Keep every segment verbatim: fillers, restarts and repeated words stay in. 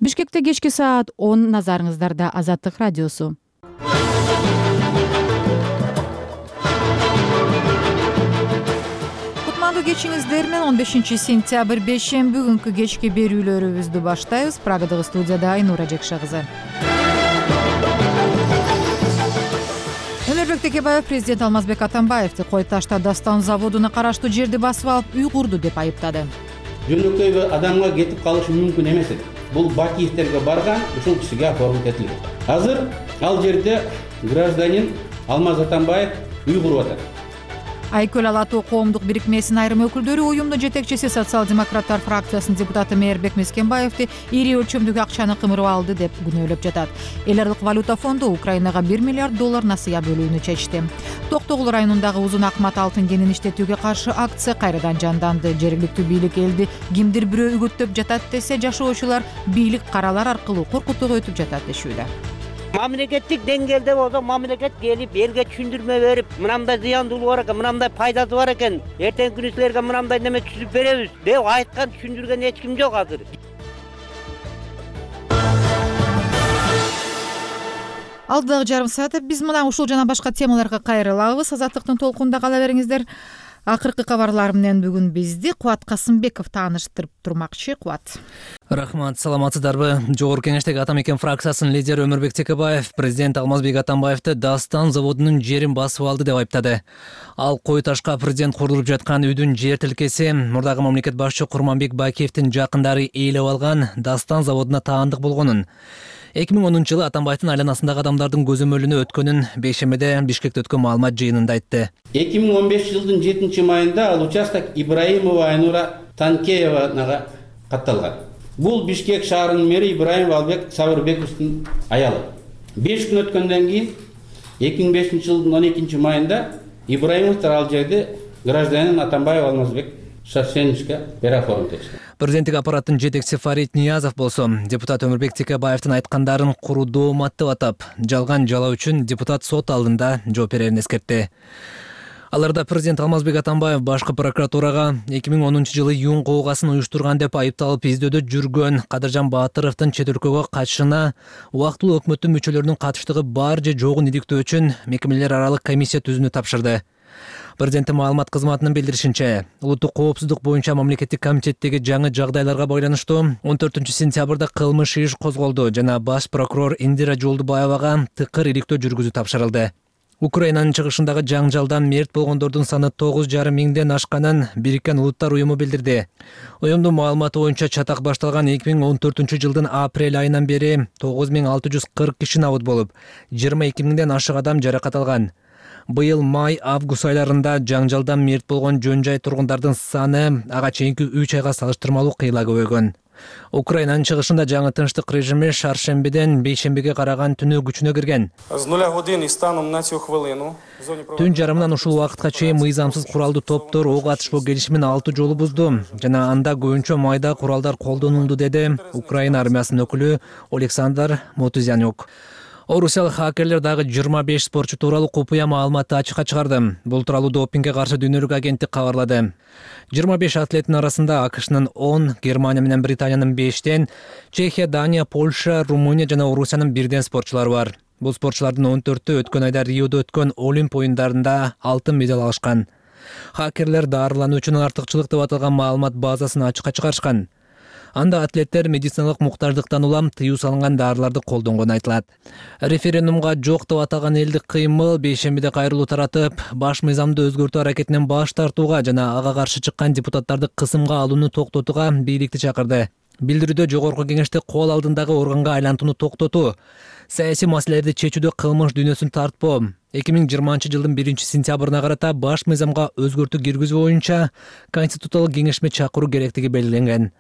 Бишкекте кечки саат он, назарыңыздарда Азаттык радиосу. Кутмандуу кечиңиздер менен он бешинчи сентябрь бейшемби күнкү кечки берүүлөрүбүздү баштайбыз. Прагадагы студияда Айнура Жекша кызы. Өмүрбек Текебаев президент Алмазбек Атамбаевди Кой Ташта Дастан заводуна караштуу жерди басып алып үй курду деп айыптады. Жөнөкөй адамга кетип калышы мүмкүн эмес экен. Бул Бакиевтерге барган, ушул кишиге оформить этилген. Азыр ал жерде гражданин Алмаз Атамбаев үй куруп атат. Айкөл Ала Тоо коомдук бирикмесинин айрым өкүлдөрү уюмдун жетекчиси социал-демократтар фракциясынын депутаты Мээрбек Мескенбаевди ири өлчөмдөгү акчаны кымырып алды деп күнөөлөп жатат. Эл аралык валюта фонду Украинага бир миллиард доллар насыя бөлүүнү чечти. Токтогул районундагы узун акмат алтын кенин иштетүүгө каршы акция кайрадан жанданды. Жергиликтүү бийлик элди кимдир бирөө үгүттөп жатат десе, жашоочулар бийлик каралар аркылуу коркутууга өтүп жатат дешүүдө. Мамлекеттик деңгээлде болсо, мамлекет келип элге түшүндүрмө берип, мынандай зыяндуулугу бар экен, мынандай пайдасы бар экен, эртеңки күнү силерге мынандай неме түзүп беребиз деп айткан, түшүндүргөн эч ким жок азыр. Алдыдагы жарым саатта биз мына ушул жана башка темаларга кайрылабыз. Азаттыктын толкунунда кала бериңиздер. Акыркы кабарлар менен бүгүн бизди Кубат Касымбеков тааныштырып турмакчы. Кубат. Рахмат, саламатсыздарбы? Жогорку Кеңештеги Ата Мекен фракциясынын лидери Өмүрбек Текебаев президент Алмазбек Атамбаевди Дастан заводунун жерин басып алды деп айыптады. Ал Кой Ташка президент курулуп жаткан үйдүн жер тилкеси мурдагы мамлекет башчы Курманбек Бакиевдин жакындары ээлеп алган Дастан заводуна таандык болгонун, эки миң онунчу жылы Атамбаевдин айланасындагы адамдардын көзөмөлүнө өткөнүн бейшембиде Бишкекте өткөн маалымат жыйынында айтты. эки миң он бешинчи жылдын жетинчи майында ал участок Ибраимова Айнура Танкеевага катталган. Бул Бишкек шаарынын мэри Ибраимов Албек Сабырбековдун аялы. беш күн өткөндөн кийин эки миң бешинчи жылдын он экинчи майында Ибраимовдор ал жерди гражданин Атамбаев Алмазбек Шашеничке переоформить этишти. Президенттик аппараттын жетекчиси Фарид Ниязов болсо, депутат Өмүрбек Текебаевдин айткандарын курудуу омат деп атап, жалган жалоо үчүн депутат сот алдында жооп берерин эскертти. Аларда президент Алмазбек Атамбаев башкы прокуратурага эки миң онунчу жылы юун коогасын уюштурган деп айыпталып издөөдө жүргөн Кадыржан Баатыровдун чет өлкөгө качышына убактылуу өкмөттүн мүчөлөрүнүн катыштыгы бар же жогун иликтөө үчүн мекемелер аралык комиссия түзүүнү тапшырды. Президенттин маалымат кызматынын билдиришинче, улуттук коопсуздук боюнча мамлекеттик комитеттеги жаңы жагдайларга байланыштуу он төртүнчү сентябрда кылмыш иш козголду жана баш прокурор Индира Жолдубаевага тыкыр иликтөө жүргүзүү тапшырылды. Украинанын чыгышындагы жаңжалдан мерт болгондордун саны тогуз жарым миңден ашканын Бириккен Улуттар уюму билдирди. Уюмдун маалыматы боюнча чатак башталган эки миң он төртүнчү жылдын апрель айынан бери тогуз миң алты жүз кырк киши набыт болуп, жыйырма эки миңден ашык адам жаракат алган. Быйыл май-август айларында жаңжалдан мерт болгон жөн жай тургундардын саны ага чейинки үч айга салыштырмалуу кыйла көбөйгөн. Украинанын чыгышында жаңы тынчтык режими шаршембиден бейшембиге караган түнү күчүнө кирген. Түн жарымынан ушул убакытка чейин мыйзамсыз куралдуу топтор ок атышпоо келишимин алты жолу бузду жана анда көбүнчө майда куралдар колдонулду, деди Украина армиясынын өкүлү Александр Мотузянюк. Орусиялык хакерлер дагы жыйырма беш спортчу тууралуу купуя маалыматты ачыкка чыгарды. Бул тууралуу допингге каршы дүйнөлүк агенттик кабарлады. жыйырма беш атлеттин арасында АКШнын он, Германия менен Британиянын бештен, Чехия, Дания, Польша, Румыния жана Орусиянын бирден спортчулары бар. Бул спортчулардын он төртөө өткөн айда Риодо өткөн Олимп оюндарында алтын медаль алышкан. Хакерлер дарылануучунун артыкчылык деп аталган маалымат базасын ачыкка чыгарышкан. Анда атлеттер медициналык муктаждыктан улам тыюу салынган дарыларды колдонгону айтылат. Референдумга жок деп аталган элдик кыймыл бейшембиде кайрылуу таратып, баш мыйзамды өзгөртүү аракетинен баш тартууга жана ага каршы чыккан депутаттарды кысымга алууну токтотууга бийликти чакырды. Билдирүүдө Жогорку Кеңеште кол алдындагы органга айлантууну токтотуу, саясий маселелерди чечүүдө кылмыш дүйнөсүн тартпоо, эки миң жыйырманчы жылдын биринчи сентябрына карата баш мыйзамга өзгөртүү киргизүү боюнча Конституциялык кеңешме чакыруу керектиги белгиленген.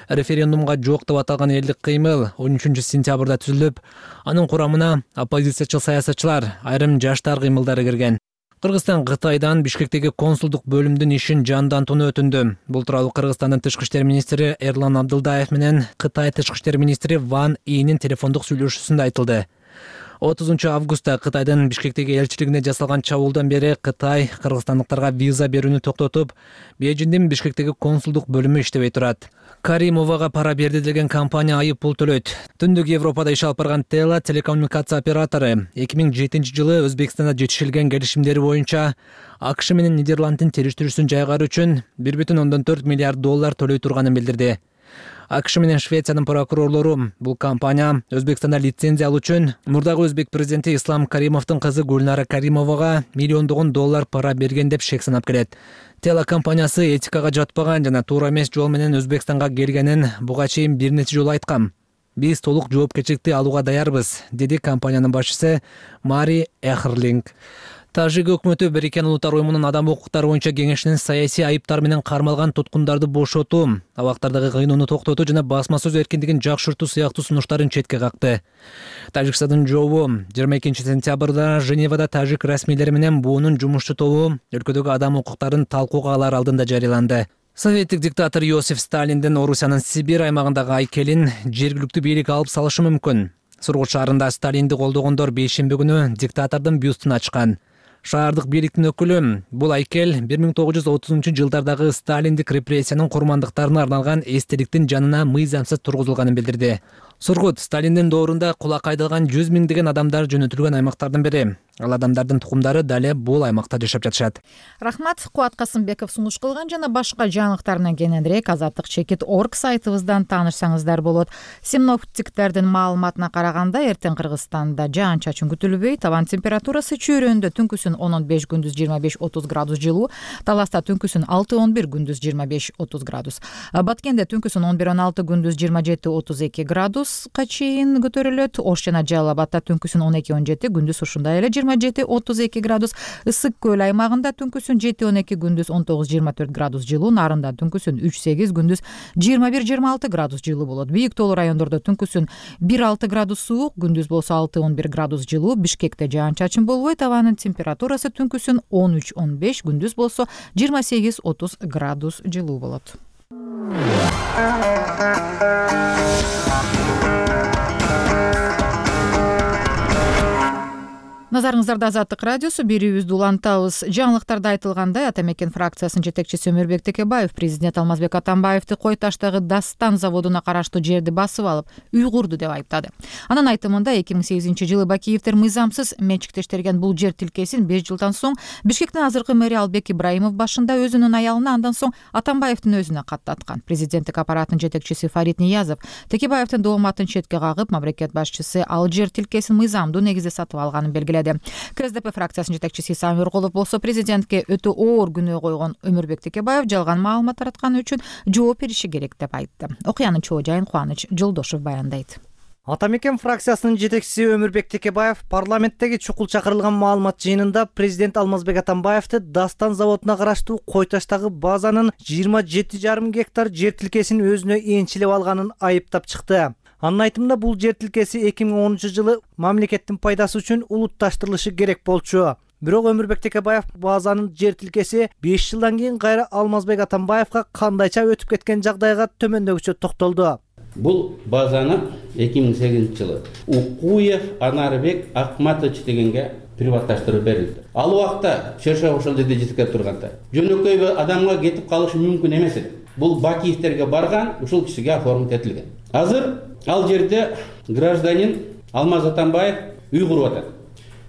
Референдумга жок деп аталган элдик кыймыл он үчүнчү сентябрда түзүлүп, анын курамына оппозициячыл саясатчылар, айрым жаштар кыймылдары кирген. Кыргызстан Кытайдан Бишкектеги консулдук бөлүмдүн ишин жандантууну өтүндү. Бул тууралуу Кыргызстандын тышкы иштер министри Эрлан Абдылдаев менен Кытай тышкы иштер министри Ван Инин телефондук сүйлөшүүсүндө айтылды. отузунчу августта Кытайдын Бишкектеги элчилигине жасалган чабуулдан бери Кытай кыргызстандыктарга виза берүүнү токтотуп, Бейжиңдин Бишкектеги консулдук бөлүмү иштебей турат. Каримовага пара берди деген компания айып пул төлөйт. Түндүк Европада иш алып барган Тела телекоммуникация оператору эки миң жетинчи жылы Өзбекстанда жетишилген келишимдери боюнча АКШ менен Нидерланддын териториясын жайгаруу үчүн бир бүтүн ондон төрт миллиард доллар төлөй турганын билдирди. АКШ менен Швециянын прокурорлору бул компания Өзбекстанда лицензия алуу үчүн мурдагы өзбек президенти Ислам Каримовдун кызы Гүлнара Каримовага миллиондогон доллар пара берген деп шек санап келет. Тела компаниясы этикага жатпаган жана туура эмес жол менен Өзбекстанга келгенин буга чейин бир нече жолу айткан. Биз толук жоопкерчиликти алууга даярбыз, деди компаниянын башчысы Мари Эхрлинг. Тажик өкмөтү Бириккен Улуттар уюмунун адам укуктары боюнча кеңешинин саясий айыптар менен кармалган туткундарды бошотуу, абактардагы кыйноону токтотуу жана басма сөз эркиндигин жакшыртуу сыяктуу сунуштарын четке какты. Тажикстандын жообу жыйырма экинчи сентябрда Женевада тажик расмийлери менен буунун жумушчу тобу өлкөдөгү адам укуктарын талкууга алар алдында жарыяланды. Советтик диктатор Иосиф Сталиндин Орусиянын Сибирь аймагындагы айкелин жергиликтүү бийлик алып салышы мүмкүн. Сургут шаарында Сталинди колдогондор бейшемби күнү диктатордун бюстун ачкан. Шаардык бийликтин өкүлү бул айкел бир миң тогуз жүз отузунчу жылдардагы Сталиндик репрессиянын курмандыктарына арналган эстеликтин жанына мыйзамсыз тургузулганын билдирди. Сургут Сталиндин доорунда кулак айдалган жүз миңдеген адамдар жөнөтүлгөн аймактардын бири. Ал адамдардын тукумдары дале бул аймакта жашап жатышат. Рахмат, Кубат Касымбеков сунуш кылган жана башка жаңылыктарынан кененирээк азаттык чекит точка орг сайтыбыздан таанышсаңыздар болот. Синоптиктердин маалыматына караганда эртең Кыргызстанда жаан-чачын күтүлбөйт. Абан температурасы чөйрөндө түнкүсүн он он беш, күндүз жыйырма беш отуз градус жылуу, Таласта түнкүсүн алты он бир, күндүз жыйырма беш отуз градус. Баткенде түнкүсүн он бир он алты, күндүз жыйырма жети отуз эки градуска чейин көтөрүлөт. Ош жана Жалал Абадта түнкүсүн он эки он жети, күндүз ушундай эле жыйырма жети отуз эки градус. Ысык көл аймагында түнкүсүн жети он эки, күндүз он тогуз жыйырма төрт градус жылуу, Нарында түнкүсүн үч сегиз, күндүз жыйырма бир жыйырма алты градус жылуу болот. Бийик тоолуу райондордо түнкүсүн бир алты градус суук, күндүз болсо алты он бир градус жылуу. Бишкекте жаан-чачын болбойт. Абанын температурасы түнкүсүн он үч он беш, күндүз болсо жыйырма сегиз отуз градус жылуу болот. Назарыңыздарда Азаттык радиосу, берүүбүздү улантабыз. Жаңылыктарда айтылгандай, Ата Мекен фракциясынын жетекчиси Өмүрбек Текебаев президент Алмазбек Атамбаевди Кой Таштагы Дастан заводуна караштуу жерди басып алып, үй курду деп айыптады. Анын айтымында эки миң сегизинчи жылы Бакиевдер мыйзамсыз менчиктештерген бул жер тилкесин беш жылдан соң Бишкектин азыркы мэри Албек Ибраимов башында өзүнүн аялына, андан соң Атамбаевдин өзүнө каттаткан. Президенттик аппараттын жетекчиси Фарид Ниязов Текебаевдин дооматын четке кагып, мамлекет башчысы ал жер тилкесин мыйзамдуу негизде сатып алганын белгиледи. КСДП фракциясынын жетекчиси Исам Өрголов болсо президентке өтө оор күнөө койгон Өмүрбек Текебаев жалган маалымат таратканы үчүн жооп бериши керек деп айтты. Окуянын чоо жайын Кубаныч Жолдошов баяндайт. Ата Мекен фракциясынын жетекчиси Өмүрбек Текебаев парламенттеги чукул чакырылган маалымат жыйынында президент Алмазбек Атамбаевди Дастан заводуна караштуу Кой Таштагы базанын жыйырма жети жарым гектар жер тилкесин өзүнө энчилеп алганын айыптап чыкты. Анын айтымында бул жер тилкеси эки миң онунчу жылы мамлекеттин пайдасы үчүн улутташтырылышы керек болчу. Бирок Өмүрбек Текебаев базанын жер тилкеси беш жылдан кийин кайра Алмазбек Атамбаевга кандайча өтүп кеткен жагдайга төмөндөгүчө токтолду. Бул базаны эки миң сегизинчи жылы Укуев Анарбек Акматович дегенге приватташтырып берилди. Ал убакта Шершов ошол жерде жетип турганда жөнөкөй адамга кетип калышы мүмкүн эмес эди. Бул Бакиевтерге барган, ушул кишиге оформить этилген. Азыр ал жерде гражданин Алмаз Атамбаев үй куруп атат.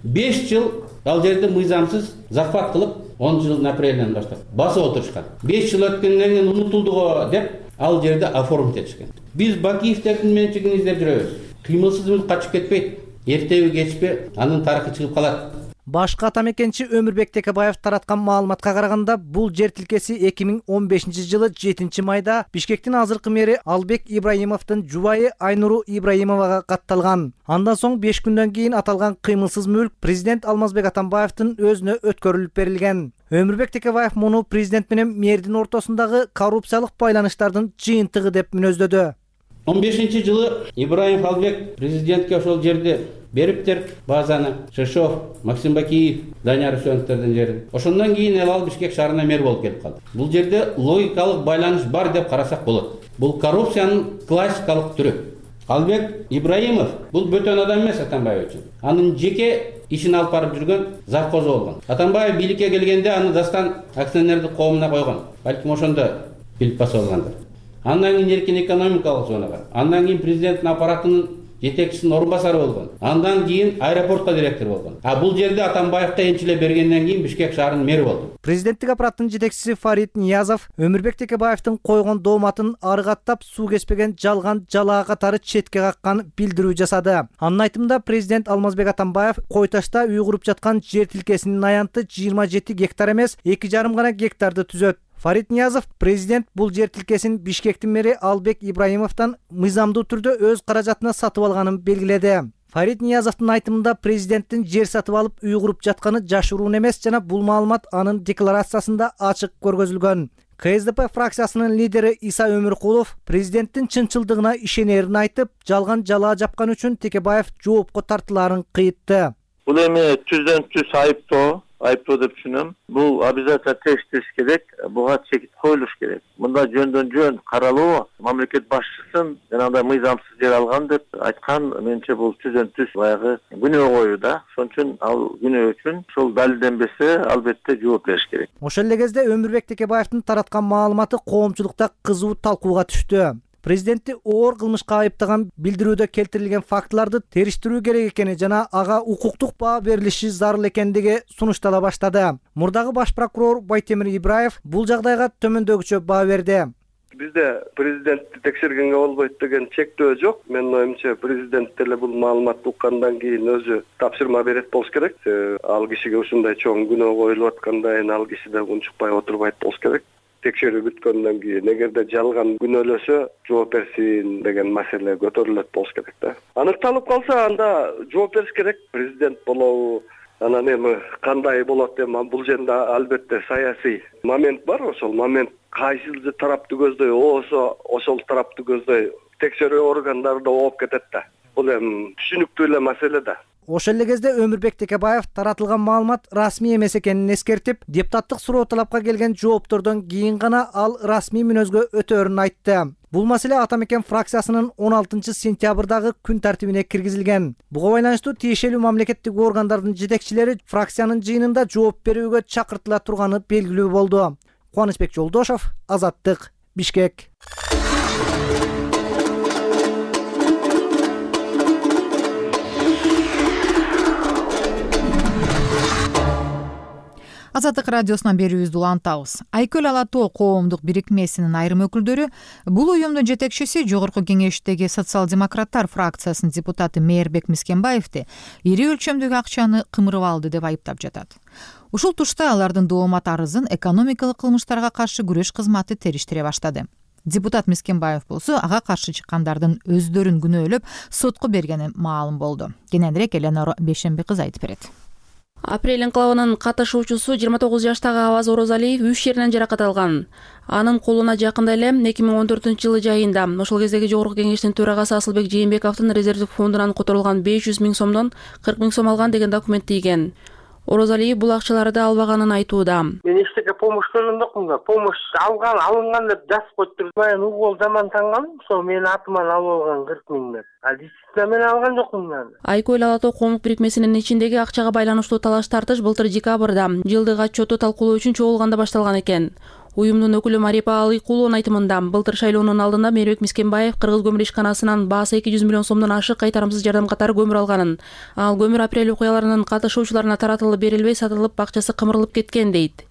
беш жыл ал жерде мыйзамсыз захват кылып, он жылдын апрелинен баштап басып отурушкан. беш жыл өткөндөн кийин унутулду го деп ал жерде оформить этишкен. Биз Бакиевтердин менчигин издеп жүрөбүз. Кыймылсыз качып кетпейт. Эртеби кечпи анын тарыхы чыгып калат. Башка ата мекенчи Өмүрбек Текебаев тараткан маалыматка караганда, бул жер тилкеси эки миң он бешинчи жылы жетинчи майда Бишкектин азыркы мэри Албек Ибраимовдун жубайы Айнуру Ибраимовага катталган. Андан соң беш күндөн кийин аталган кыймылсыз мүлк президент Алмазбек Атамбаевдин өзүнө өткөрүлүп берилген. Өмүрбек Текебаев муну президент менен мэрдин ортосундагы коррупциялык байланыштардын жыйынтыгы деп мүнөздөдү. он бешинчи жылы Ибраимов Албек президентке ошол жерди бериптер, базаны Шершов, Максим Бакиев, Данияр Үсөновдөрдүн жерин. Ошондон кийин эл ал Бишкек шаарына мэр болуп келип калды. Бул жерде логикалык байланыш бар деп карасак болот. Бул коррупциянын классикалык түрү. Албек Ибраимов бул бөтөн адам эмес Атамбаев үчүн. Анын жеке ишин алып барып жүргөн завхозу болгон. Атамбаев бийликке келгенде аны Дастан акционердик коомуна койгон. Балким ошондо билип баса болгондур. Андан кийин эркин экономикалык зонага, андан кийин президенттин аппаратынын жетекчисинин орун басары болгон. Андан кийин аэропортко директор болгон. А бул жерде Атамбаевка энчилеп бергенден кийин Бишкек шаарынын мэри болду. Президенттик аппараттын жетекчиси Фарид Ниязов Өмүрбек Текебаевдин койгон дооматын арыгаттап суу кеспеген жалган жалаа катары четке каккан билдирүү жасады. Анын айтымында президент Алмазбек Атамбаев Кой Ташта үй куруп жаткан жер тилкесинин аянты жыйырма жети гектар эмес, эки жарым гана гектарды түзөт. Фарид Ниязов президент бул жер тилкесин Бишкектин мэри Албек Ибраимовдон мыйзамдуу түрдө өз каражатына сатып алганын белгиледи. Фарид Ниязовдун айтымында президенттин жер сатып алып үй куруп жатканы жашыруун эмес жана бул маалымат анын декларациясында ачык көргөзүлгөн. ка эс дэ пэ фракциясынын лидери Иса Өмүркулов президенттин чынчылдыгына ишенерин айтып, жалган жалаа жапкан үчүн Текебаев жоопко тартылаарын кыйтты. Бул эми түздөн түз айыптоо айыптоо деп түшүнөм. Бул обязательно текштеш керек, буга чекит коюлуш керек. Мында жөндөн жөн каралуу, мамлекет башчысын жанагындай мыйзамсыз жер алган деп айткан, менимче бул түздөн түз баягы күнөө коюу да. Ошон үчүн ал күнөө үчүн ошол далилденбесе, албетте жооп бериш керек. Ошол эле кезде Өмүрбек Текебаевдин тараткан маалыматы коомчулукта кызуу талкууга түштү. Президентти оор кылмышка айыптаган билдирүүдө келтирилген фактыларды териштирүү керек экени жана ага укуктук баа берилиши зарыл экендиги сунуштала баштады. Мурдагы баш прокурор Байтемир Ибраев бул жагдайга төмөндөгүчө баа берди. Бизде президентти текшергенге болбойт деген чектөө жок. Менин оюмча президент деле бул маалыматты уккандан кийин өзү тапшырма берет болуш керек. Ал кишиге ушундай чоң күнөө коюлуп атканда ал киши да унчукпай отурбайт болуш керек. Текшерүү бүткөндөн кийин эгерде жалган күнөөлөсө жооп берсин деген маселе көтөрүлөт болуш керек да. Аныкталып калса анда жооп бериш керек. Президент болобу, анан эми кандай болот эми бул жерде албетте саясий момент бар. Ошол момент кайсыл тарапты көздөй болсо ошол тарапты көздөй текшерүү органдары да ооп кетет да. Бул эми түшүнүктүү эле маселе да. Ошол эле кезде Өмүрбек Текебаев таратылган маалымат расмий эмес экенин эскертип, депутаттык суроо талапка келген жооптордон кийин гана ал расмий мүнөзгө өтөөрүн айтты. Бул маселе Ата Мекен фракциясынын он алтынчы сентябрдагы күн тартибине киргизилген. Буга байланыштуу тиешелүү мамлекеттик органдардын жетекчилери фракциянын жыйынында жооп берүүгө чакыртыла турганы белгилүү болду. Кубанычбек Жолдошов, Азаттык, Бишкек. Азаттык радиосунан берүүбүздү улантабыз. Айкөл Ала Тоо коомдук бирикмесинин айрым өкүлдөрү бул уюмдун жетекчиси Жогорку Кеңештеги социал-демократтар фракциясынын депутаты Мээрбек Мискенбаевди ири өлчөмдөгү акчаны кымырып алды деп айыптап жатат. Ушул тушта алардын доомат арызын экономикалык кылмыштарга каршы күрөш кызматы териштире баштады. Депутат Мискенбаев болсо ага каршы чыккандардын өздөрүн күнөөлөп сотко бергени маалым болду. Кененирээк Эленора Бейшемби кызы айтып берет. Апрель инкылабынын катышуучусу жыйырма тогуз жаштагы Аваз Орозалиев үч жеринен жаракат алган. Анын колуна жакында эле эки миң он төртүнчү жылы жайында ошол кездеги Жогорку Кеңештин төрагасы Асылбек Жээнбековдун резервдик фондунан которулган беш жүз миң сомдон кырк миң сом алган деген документ тийген. Орозалиев бул акчаларды албаганын айтууда. Мен эчтеке помощь көргөн жокмун да. Помощь алган, алынган деп жазып коюптур. Мен угол заман танган, ошол менин атыман алып алган кырк миң деп. А действительно мен алган жокмун мен. Айкөл Ала Тоо коомдук бирикмесинин ичиндеги акчага байланыштуу талаш тартыш былтыр декабрда жылдык отчетту талкуулоо үчүн чогулганда башталган экен. Уюмдун өкүлү Марипа Алыкулунун айтымында былтыр шайлоонун алдында Мээрбек Мискенбаев Кыргыз көмүр ишканасынан баасы эки жүз миллион сомдон ашык кайтарымсыз жардам катары көмүр алганын. Ал көмүр апрель окуяларынын катышуучуларына таратылып берилбей сатылып акчасы кымырылып кеткен дейт.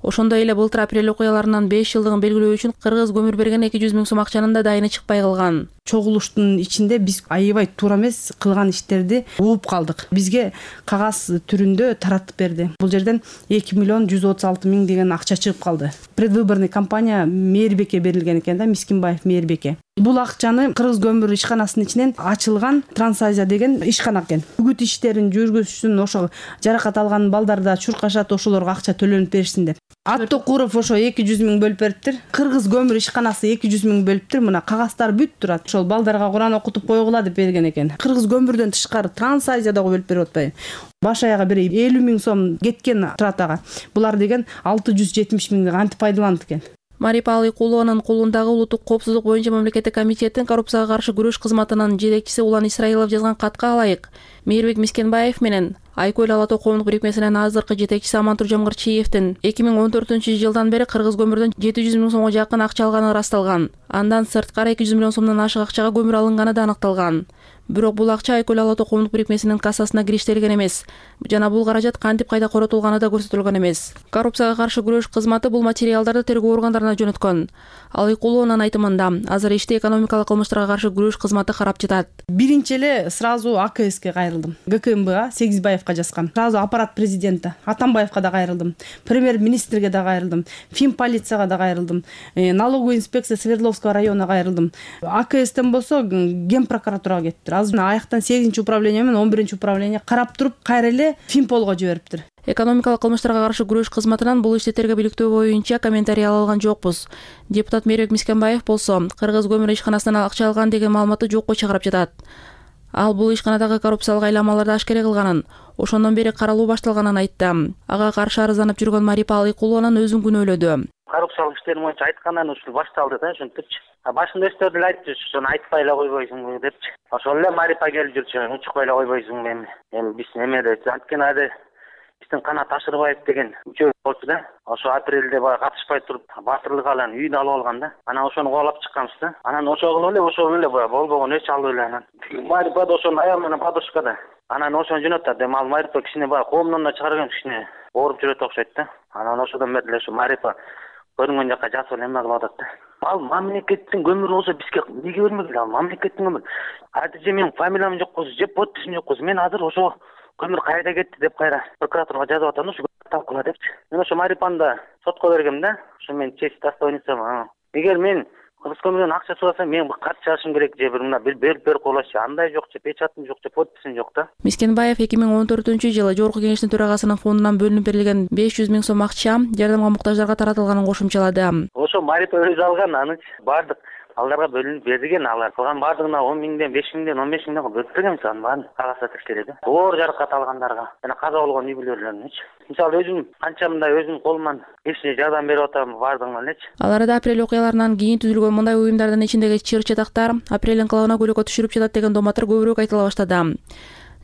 Ошондой эле былтыр апрель окуяларынын беш жылдыгын белгилөө үчүн Кыргыз көмүр берген эки жүз миң сом акчанын да дайыны чыкпай калган. Чогулуштун ичинде биз аябай туура эмес кылган иштерди угуп калдык. Бизге кагаз түрүндө таратып берди. Бул жерден эки миллион жүз отуз алты миң деген акча чыгып калды. Предвыборный кампания Мээрбекке берилген экен да, Мискенбаев Мээрбекке. Бул акчаны Кыргыз көмүр ишканасынын ичинен ачылган Трансазия деген ишкана экен. Үгүт иштерин жүргүзүшүн ошол жаракат алган балдар да чуркашат, ошолорго акча төлөнүп беришсин деп. Аттокуров ошо эки жүз миң бөлүп бериптир. Кыргыз көмүр ишканасы эки жүз миң бөлүптүр. Мына кагаздар бүт турат. Ошол балдарга Куран окутуп койгула деп берген экен. Кыргыз көмүрдөн тышкары Трансазия дагы бөлүп берип атпайбы? Баш аяга бир элүү миң сом кеткен турат ага. Булар деген алты жүз жетимиш миңди кантип пайдаланды экен? Марипа Алыкулованын колундагы улуттук коопсуздук боюнча мамлекеттик комитеттин коррупцияга каршы күрөш кызматынын жетекчиси Улан Исраилов жазган катка алайык. Мейирбек Мискенбаев менен Айкөл Ала Тоо коомдук бирикмесинин азыркы жетекчиси Амантур Жамгырчиевдин эки миң он төртүнчү жылдан бери кыргыз көмүрдөн жети жүз миң сомго жакын акча алганы ырасталган. Андан сырткары эки жүз миллион сомдон ашык акчага көмүр алынганы да аныкталган. Бирок бул акча Айкөл Ала Тоо коомдук бирикмесинин кассасына кириштирилген эмес жана бул каражат кантип кайда коротулганы да көрсөтүлгөн эмес. Коррупцияга каршы күрөш кызматы бул материалдарды тергөө органдарына жөнөткөн. Алыкулованын айтымында азыр ишти экономикалык кылмыштарга каршы күрөш кызматы карап жатат. Биринчи эле сразу А К Ске кайрылдым. Г К М Бга Сегизбаевка жазгам. Сразу аппарат президента Атамбаевка да кайрылдым. Премьер-министрге да кайрылдым. Фин полицияга да кайрылдым. Налоговый инспекция Свердловского районуна кайрылдым. А К Стен болсо Ген прокуратурага кетиптир. Азыр аяктан сегизинчи управление менен он биринчи управление карап туруп кайра эле Финполго жибериптир. Экономикалык кылмыштарга каршы күрөш кызматынан бул ишти тергөө-бийликтөө боюнча комментарий ала алган жокпуз. Депутат Мейирбек Мискенбаев болсо Кыргыз көмүр ишканасынан акча алган деген маалыматты жокко чыгарып жатат. Ал бул ишканадагы коррупциялык айламаларды ашкере кылганын, ошондон бери каралуу башталганын айтты. Ага каршы арызданып жүргөн Марипа Алыкулованын өзүн күнөөлөдү. Коррупциялык иштер боюнча айткандан ушул башталды да, ошентипчи. Башында өздөрү эле айтты, ошону айтпай эле койбойсуңбу депчи. Ошол эле Марипа келип жүрчү, учукпай эле койбойсуңбу эми. Эми биз эмеде анткени ады биздин Канат Ашырбаев деген үчөө болчу да. Ошо апрелде баягы катышпай туруп батырлык алган үйүн алып алган да. Анан ошону кубалап чыкканбыз да. Анан ошол кылып эле ошол эле баягы болбогон өч алып эле анан. Марипа да ошонун аягы менен подушкада. Анан ошону жөнөттү. Эми ал Марипа кичине баягы коомдон да чыгарган кичине ооруп жүрөт окшойт да. Анан ошодон бери эле ошо Марипа көрүнгөн жакка жасып эле эме кылып атат да. Ал мамлекеттин көмүрү болсо бизге эмнеге бермегиле? Ал мамлекеттин көмүрү. Адже менин фамилиям жокпуз, же подписим жокпуз. Мен азыр ошо көмүр кайда кетти деп кайра прокуратурага жазып атам, ошо талкыла депчи. Мен ошо Марипаны да сотко бергем да. Ошо мен честь достоинством. Эгер мен Кыргыз көмүрдөн акча сұраса, мен каршы чыгышым керек же бир мына берип берип койлоочу. Андай жок же печатым жок же подписим жок да. Мискенбаев эки миң он төртүнчү жылы Жогорку Кеңештин төрагасынын фондунан бөлүнүп берилген беш жүз миң сом акча жардамга муктаждарга таратылганын кошумчалады. Ошо Марипа өзү алган, аны бардык аларга бөлүнүп берилген, алар кылган бардыгына он миңден, беш миңден, он беш миңден бөлүп берген сан баарын кагазда текшерди. Оор жаракат алгандарга жана каза болгон үй бүлөлөрүнөчү. Мисалы өзүм канча мындай өзүм колуман кишине жардам берип атам бардыгына элечи. Ал арада апрель окуяларынан кийин түзүлгөн мындай уюмдардын ичиндеги чыр чатактар апрель инкылабына көйрөккө түшүрүп жатат деген доматтар көбүрөөк айтыла баштады.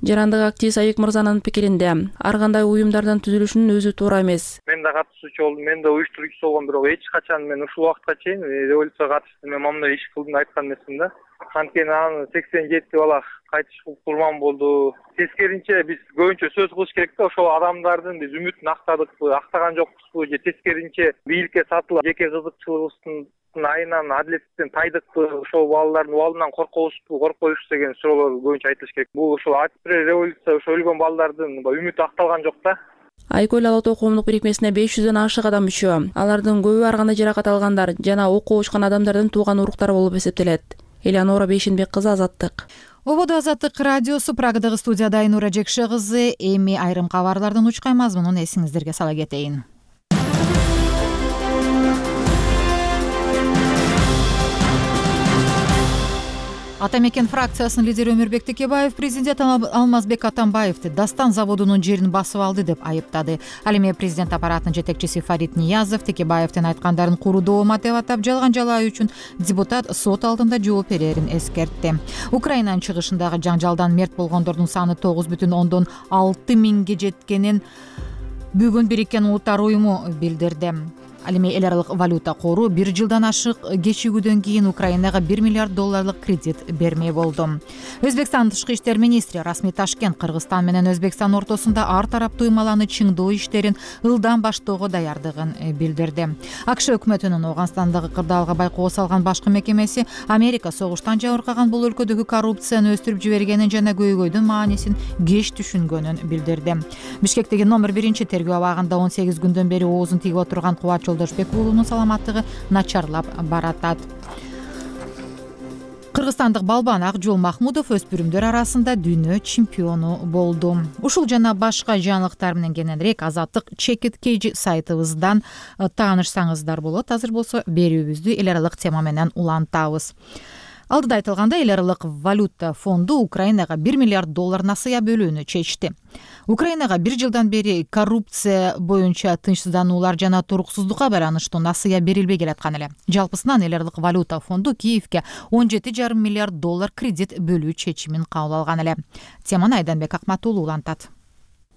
Жарандык активист Айбек Мырзанын пикиринде ар кандай уюмдардан түзүлүшүнүн өзү туура эмес. Мен да катышуучу болдум, мен да уюштуруучусу болгом, бирок эч качан мен ушул убакытка чейин революцияга катышты мен мамындай иш кылдым айткан эмесмин да. Анткени анын сексен жети бала кайтыш курман болду. Тескеринче биз көбүнчө сөз кылыш керек да, ошол адамдардын биз үмүтүн актадыкпы, актаган жокпузбу же тескеринче бийликке сатылып жеке кызыкчылыгыбыздын айынан адилеттен тайдыкпы, ошол балдардын убалынан коркобузбу, коркпойбузбу деген суроолор көбүнчө айтылыш керек. Бул ошол апрель революция ошо өлгөн балдардын үмүтү акталган жок да. Айкөл Ала Тоо коомдук бирикмесине беш жүздөн ашык адам мүчө. Алардын көбү ар кандай жаракат алгандар жана окуу учкан адамдардын тууган уруктары болуп эсептелет. Элеонора Бейшенбек кызы, Азаттык. Ободо Азаттык радиосу, Прагадагы студияда Айнура Жекше кызы. Эми айрым кабарлардын учкай мазмунун эсиңиздерге сала кетейин. Ата мекен фракциясынын лидери Өмүрбек Текебаев президент Алмазбек Атамбаевди Дастан заводунун жерин басып алды деп айыптады. Ал эми президент аппаратынын жетекчиси Фарид Ниязов Текебаевдин айткандарын куру доомат деп атап, жалган жалаа үчүн депутат сот алдында жооп берерин эскертти. Украинанын чыгышындагы жаңжалдан мерт болгондордун саны тогуз бүтүн ондон алты миңге жеткенин бүгүн Бириккен Улуттар уюму билдирди. Ал эми эл аралык валюта кору бир жылдан ашык кечигүүдөн кийин Украинага бир миллиард долларлык кредит бермей болду. Өзбекстан тышкы иштер министри Расми Ташкент Кыргызстан менен Өзбекстан ортосунда ар тараптуу ыймаланы чыңдоо иштерин ылдам баштоого даярдыгын билдирди. АКШ өкмөтүнүн Ооганстандагы кырдаалга байкоо салган башкы мекемеси Америка согуштан жабыркаган бул өлкөдөгү коррупцияны өстүрүп жибергенин жана көйгөйдүн маанисин кеч түшүнгөнүн билдирди. Бишкектеги номер биринчи тергөө абагында он сегиз күндөн бери оозун тийип отурган Кубат Жолдошбек уулунун саламаттыгы начарлап баратат. Кыргызстандык балбан Акжол Махмудов өспүрүмдөр арасында дүйнө чемпиону болду. Ушул жана башка жаңылыктар менен кененирээк Азаттык Чекит Кейжи сайтыбыздан таанышсаңыздар болот. Азыр болсо берүүбүздү эл аралык тема менен улантабыз. Алдыда айтылгандай, эл аралык валюта фонду Украинага бир миллиард доллар насыя бөлүүнү чечти. Украинага бир жылдан бери коррупция боюнча тынчсыздануулар жана туруксуздукка байланыштуу насыя берилбей келаткан эле. Жалпысынан эл аралык валюта фонду Киевке он жети жарым миллиард доллар кредит бөлүү чечимин кабыл алган эле. Теманы Айданбек Акматуулу улантат.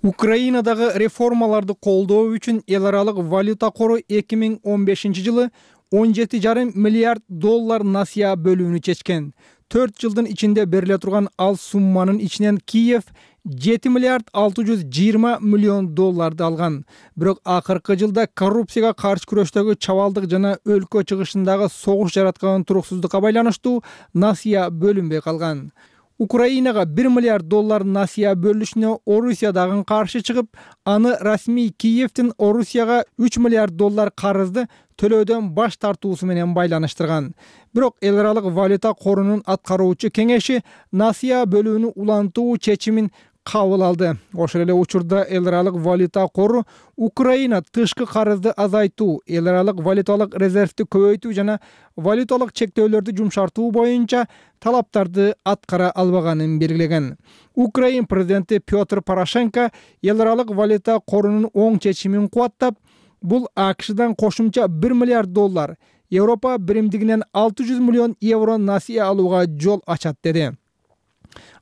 Украинадагы реформаларды колдоо үчүн эл аралык валюта кору эки миң он бешинчи жылы он жети жарым миллиард доллар насыя бөлүүнү чечкен. төрт жылдын ичинде бериле турган ал сумманын ичинен Киев жети миллиард алты жүз жыйырма миллион долларды алган. Бирок акыркы жылда коррупцияга каршы күрөштөгү чабалдык жана өлкө чыгышындагы согуш жараткан туруксуздукка байланыштуу насыя бөлүнбөй калган. Украинага бир миллиард доллар насыя бөлүшүнө Орусия дагы каршы чыгып, аны расмий Киевдин Орусияга үч миллиард доллар карызды төлөөдөн баш тартуусу менен байланыштырган. Бирок эл аралык валюта корунун аткаруучу кеңеши насыя бөлүүнү улантуу чечимин кабыл алды. Ошол эле учурда эл аралык валюта кору Украина тышкы карызды азайтуу, эл аралык валюталык резервди көбөйтүү жана валюталык чектөөлөрдү жумшартуу боюнча талаптарды аткара албаганын белгилеген. Украин президенти Петр Порошенко эл аралык валюта корунун оң чечимин кубаттап, бул АКШдан кошумча бир миллиард доллар, Европа биримдигинен алты жүз миллион евро насыя алууга жол ачат деди.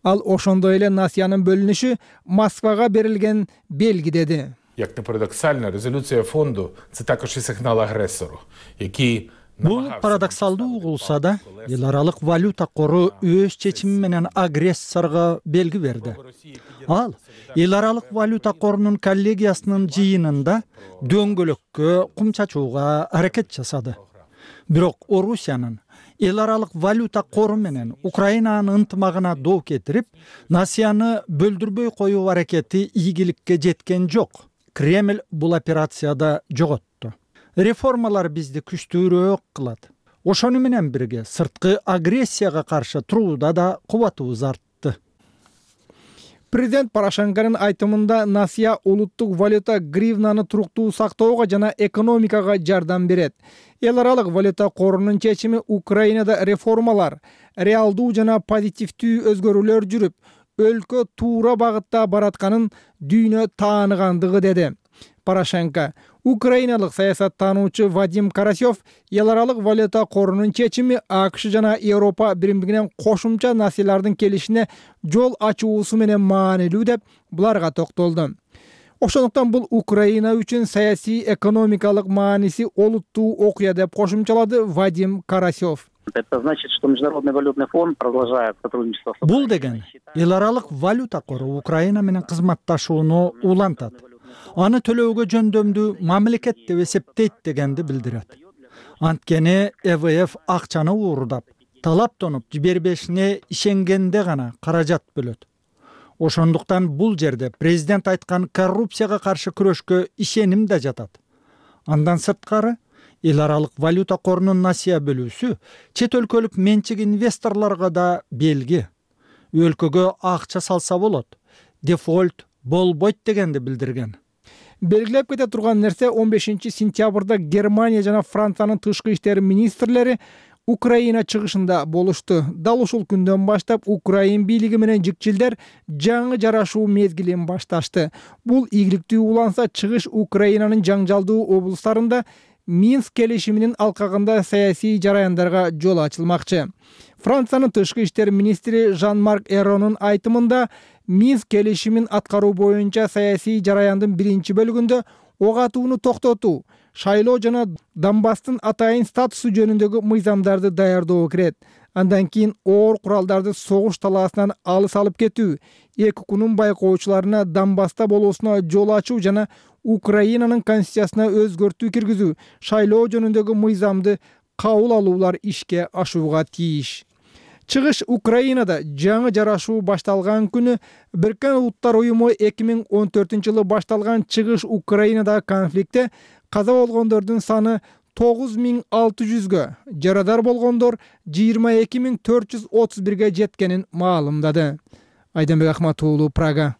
Ал ошондой эле насыянын бөлүнүшү Москвага берилген белги деди. Як не парадоксально, резолюция фонду це також і сигнал агресору, який Бул парадоксалдуу угулса да, эл аралык валюта кору өз чечими менен агрессорго белги берди. Ал эл аралык валюта корунун коллегиясынын жыйынында дөңгөлөккө кум чачууга аракет жасады. Бирок Орусиянын эл аралык валюта кору менен Украинанын ынтымагына доо кетирип, насыяны бөлдүрбөй коюу аракети ийгиликке жеткен жок. Кремль бул операцияда жоготту. Реформалар бизди күчтүүрөөк кылат. Ошону менен бирге сырткы агрессияга каршы турууда да кубатыбыз артты. Президент Порошенконун айтымында насыя улуттук валюта гривнаны туруктуу сактоого жана экономикага жардам берет. Эл аралык валюта корунун чечими Украинада реформалар, реалдуу жана позитивдүү өзгөрүүлөр жүрүп, өлкө туура багытта баратканын дүйнө тааныгандыгы деди. Порошенко украиналык саясаттануучу Вадим Карасев эл аралык валюта корунун чечими АКШ жана Европа биримдигинен кошумча насыялардын келишине жол ачуусу менен маанилүү деп буларга токтолду. Ошондуктан бул Украина үчүн саясий экономикалык мааниси олуттуу окуя деп кошумчалады Вадим Карасев. Это значит, что Международный валютный фонд продолжает сотрудничество. Бул деген эл аралык валюта кору Украина менен кызматташууну улантат. Аны төлөөгө жөндөмдүү мамлекет деп эсептейт дегенди билдирет. Анткени Э В Ф акчаны уурдап, талаптонуп жибербешине ишенгенде гана каражат бөлөт. Ошондуктан бул жерде президент айткан коррупцияга каршы күрөшкө ишеним да жатат. Андан сырткары эл аралык валюта корунун насыя бөлүүсү чет өлкөлүк менчик инвесторлорго да белги. Өлкөгө акча салса болот, дефолт болбойт дегенди билдирген. Белгилеп кете турган нерсе он бешинчи сентябрда Германия жана Франциянын тышкы иштер министрлери Украина чыгышында болушту. Дал ушул күндөн баштап Украин бийлиги менен жикчилдер жаңы жарашуу мезгилин башташты. Бул ийгиликтүү уланса, чыгыш Украинанын жаңжалдуу облустарында Минск келишиминин алкагында саясий жараяндарга жол ачылмакчы. Франциянын тышкы иштер министри Жан-Марк Эронун айтымында Минск келишимин аткаруу боюнча саясий жараяндын биринчи бөлүгүндө ок атууну токтотуу, шайлоо жана Донбасстын атайын статусу жөнүндөгү мыйзамдарды даярдоо кирет. Андан кийин оор куралдарды согуш талаасынан алыс алып кетүү, эки кунун байкоочуларына Донбасста болуусуна жол ачуу жана Украинанын конституциясына өзгөртүү киргизүү, шайлоо жөнүндөгү мыйзамды кабыл алуулар ишке ашууга тийиш. Чыгыш Украинада жаңы жарашуу башталган күнү Бириккен Улуттар уюму эки миң он төртүнчү жылы башталган чыгыш Украинадагы конфликтте каза болгондордун саны тогуз миң алты жүзгө, жарадар болгондор жыйырма эки миң төрт жүз отуз бирге жеткенин маалымдады. Айданбек Акматуулу, Прага.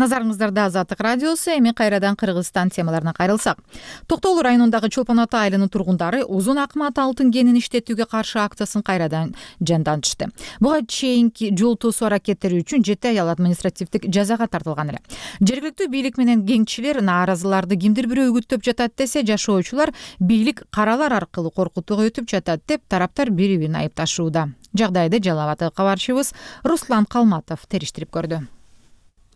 Назарыңыздарда Азаттык радиосу. Эми кайрадан Кыргызстан темаларына кайрылсак. Токтогул районундагы Чолпон Ата айылынын тургундары Узун Акмат алтын кенин иштетүүгө каршы акциясын кайрадан жандантышты. Буга чейинки жол тосуу аракеттери үчүн жети аял административдик жазага тартылган эле. Жергиликтүү бийлик менен кеңчилер нааразыларды кимдир бирөө үгүттөп жатат десе, жашоочулар бийлик каралар аркылуу коркутууга өтүп жатат деп тараптар бири-бирин айыпташууда. Жагдайды Жалал Абад кабарчыбыз Руслан Калматов териштирип көрдү.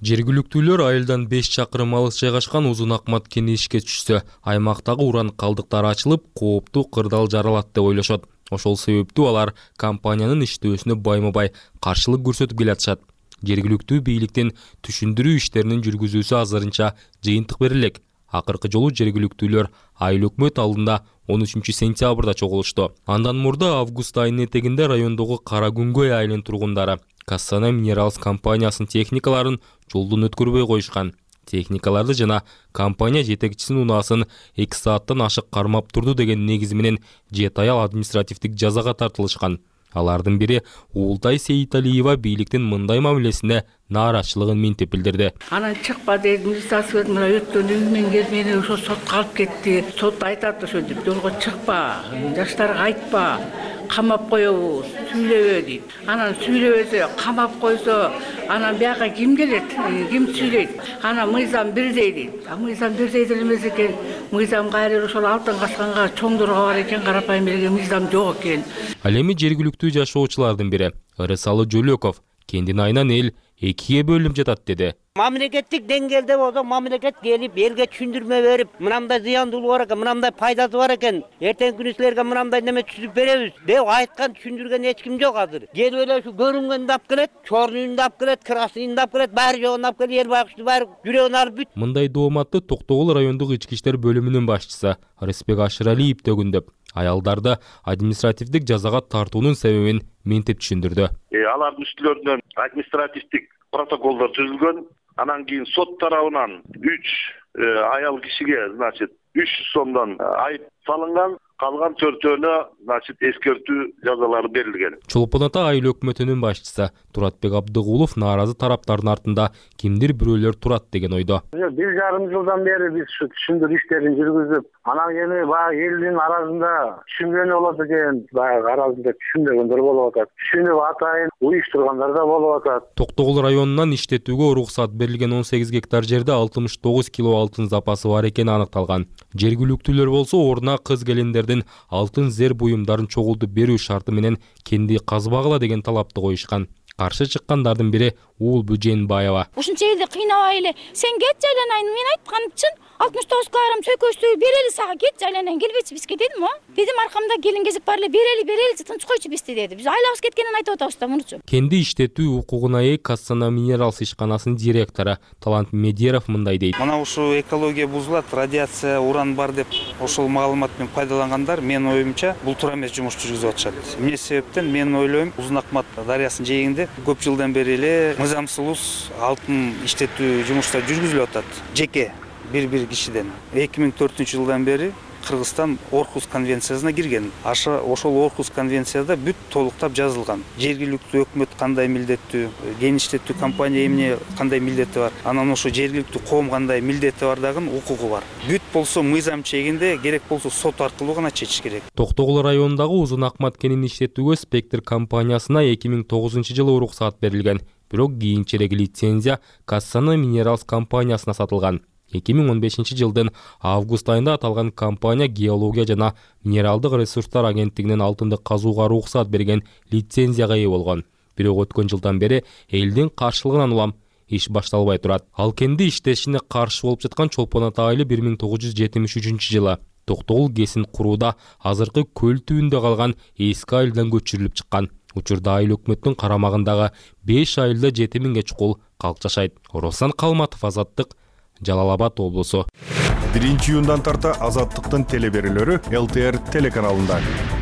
Жергиликтүүлөр айылдан беш чакырым алыс жайгашкан Узун Акмат кени ишке түшсө, аймактагы уран калдыктары ачылып, кооптуу кырдаал жаралат деп ойлошот. Ошол себептүү алар компаниянын иштөөсүнө байма-бай каршылык көрсөтүп келатышат. Жергиликтүү бийликтин түшүндүрүү иштеринин жүргүзүүсү азырынча жыйынтык берилек. Акыркы жолу жергиликтүүлөр айыл өкмөт алдында он үчүнчү сентябрда чогулушту. Андан мурда август айынын этегинде райондогу Кара Күнгөй айылынын тургундары Кассана Минералс компаниясынын техникаларын жолдон өткөрбөй коюшкан. Техникаларды жана компания жетекчисинин унаасын эки сааттан ашык кармап турду деген негизи менен жети аял административдик жазага тартылышкан. Алардын бири Уултай Сейиталиева бийликтин мындай мамилесине нааразычылыгын минтип билдирди. Анан чыкпа дейт, милиция мына өткөн үйүнөн келип мени ошо сотко алып кетти. Сот айтат ошо деп, жолго чыкпа, жаштарга айтпа, камап коебуз, сүйлөбө дейт. Анан сүйлөбөсө, камап койсо, анан бияка ким келет, ким сүйлөйт? Анан мыйзам бирдей дейт. А мыйзам бирдей деле эмес экен. Мыйзам кайры ошол алтын качканга чоңдорго бар экен, карапайым элге мыйзам жок экен. Ал эми жергиликтүү жашоочулардын бири Ырысалы Жөлөков кендин айынан эл экиге бөлүнүп жатат деди. Мамлекеттик деңгээлде болсо, мамлекет келип элге түшүндүрмө берип, мынандай зыяндуулугу бар экен, мынандай пайдасы бар экен, эртең күнү силерге мынандай неме түзүп беребиз деп айткан, түшүндүргөн эч ким жок азыр. Келип эле ушу көрүнгөндү алып келет, чорнуйунду алып келет, красныйунду алып келет, баары жогун алып келип, эл байкушту баары жүрөгүн алып бүт. Мындай дооматты Токтогул райондук ички иштер бөлүмүнүн башчысы Рыспек Ашыралиев төгүндөп, аялдарды административдик жазага тартуунун себебин минтип түшүндүрдү. Алардын үстүлөрүнөн административдик протоколдор түзүлгөн. Анан кийин сот тарабынан үч аял кишиге, значит, үч жүз сомдон айып салынган. Калган төртөөнө, значит, эскертүү жазалары берилген. Чолпон Ата айыл өкмөтүнүн башчысы Туратбек Абдыгулов нааразы тараптардын артында кимдир бирөөлөр турат деген ойдо. Бир жарым жылдан бери биз ушу түшүндүрүү иштерин жүргүзүп, анан эми баягы элдин арасында түшүнгөнү болот экен, баягы арасында түшүнбөгөндөр болуп атат. Түшүнүп атайын уюштургандар да болуп атат. Токтогул районунан иштетүүгө уруксат берилген он сегиз гектар жерде алтымыш тогуз кило алтын запасы бар экени аныкталган. Жергиликтүүлөр болсо ордуна кыз келиндердин алтын зер буюмдарын чогултуп берүү шарты менен кенди казбагыла деген талапты коюшкан. Каршы чыккандардын бири Уул Бүженбаева. Ушунча элди кыйнабай эле, сен кет жайланайын, мен айтканым чын, алтымыш тогуз килограмм чөйкөчтү берели сага, кет жайланайын, келбечи бизге дедим, о. Дедим, аркамда келин кезип бар эле, берели, берели, тынч койчу бизди деди. Биз айлабыз кеткенин айтып атабыз да, мунучу. Кенди иштетүү укугуна ээ Кассана Минералс ишканасынын директору Талант Медеров мындай дейт. Мына ушу экология бузулат, радиация, уран бар деп ошол маалымат менен пайдалангандар, менин оюмча, бул туура эмес жумуш жүргүзүп атышат. Эмне себептен мен ойлойм, Узун Акмат дарыясынын жээгинде көп жылдан бери эле мыйзамсыз алтын иштетүү жумуштар жүргүзүлүп атат. Жеке бир-бир кишиден. эки миң төртүнчү жылдан бери Кыргызстан Орхус конвенциясына кирген. Аша ошол Орхус конвенцияда бүт толуктап жазылган. Жергиликтүү өкмөт кандай милдеттүү, кен иштетүү компания эмне кандай милдети бар, анан ошо жергиликтүү коом кандай милдети бар дагы укугу бар. Бүт болсо мыйзам чегинде, керек болсо сот аркылуу гана чечиш керек. Токтогул районундагы Узун Акмат кенин иштетүүгө Спектр компаниясына эки миң тогузунчу жылы уруксат берилген. Бирок кийинчерээк лицензия Кассана Минералс компаниясына сатылган. эки миң он бешинчи жылдын август айында аталган компания геология жана минералдык ресурстар агенттигинен алтынды казууга уруксат берген лицензияга ээ болгон. Бирок өткөн жылдан бери элдин каршылыгынан улам иш башталбай турат. Ал кенди иштешине каршы болуп жаткан Чолпон Ата айылы бир миң тогуз жүз жетимиш үчүнчү жылы Токтогул кесин курууда азыркы көл түбүндө калган эски айылдан көчүрүлүп чыккан. Учурда айыл өкмөттүн карамагындагы беш айылда жети миңге чукул калк жашайт. Руслан Калматов, Азаттык, Жалал Абад облусу. биринчи июндан тарта Азаттыктын телеберүүлөрү эл тэ эр телеканалында.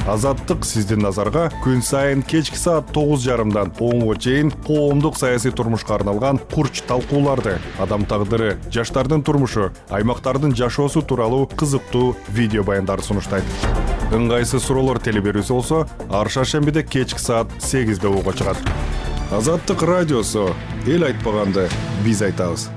Азаттык сиздин назарга күн сайын кечки саат тогуз жарымдан онго чейин коомдук саясий турмушка арналган курч талкууларды, адам тагдыры, жаштардын турмушу, аймактардын жашоосу тууралуу кызыктуу видео баяндарды сунуштайт. Ыңгайсыз суроолор телеберүүсү болсо, ар шаршембиде кечки саат сегизде угууга чыгат. Азаттык радиосу, эл айтпаганды биз айтабыз.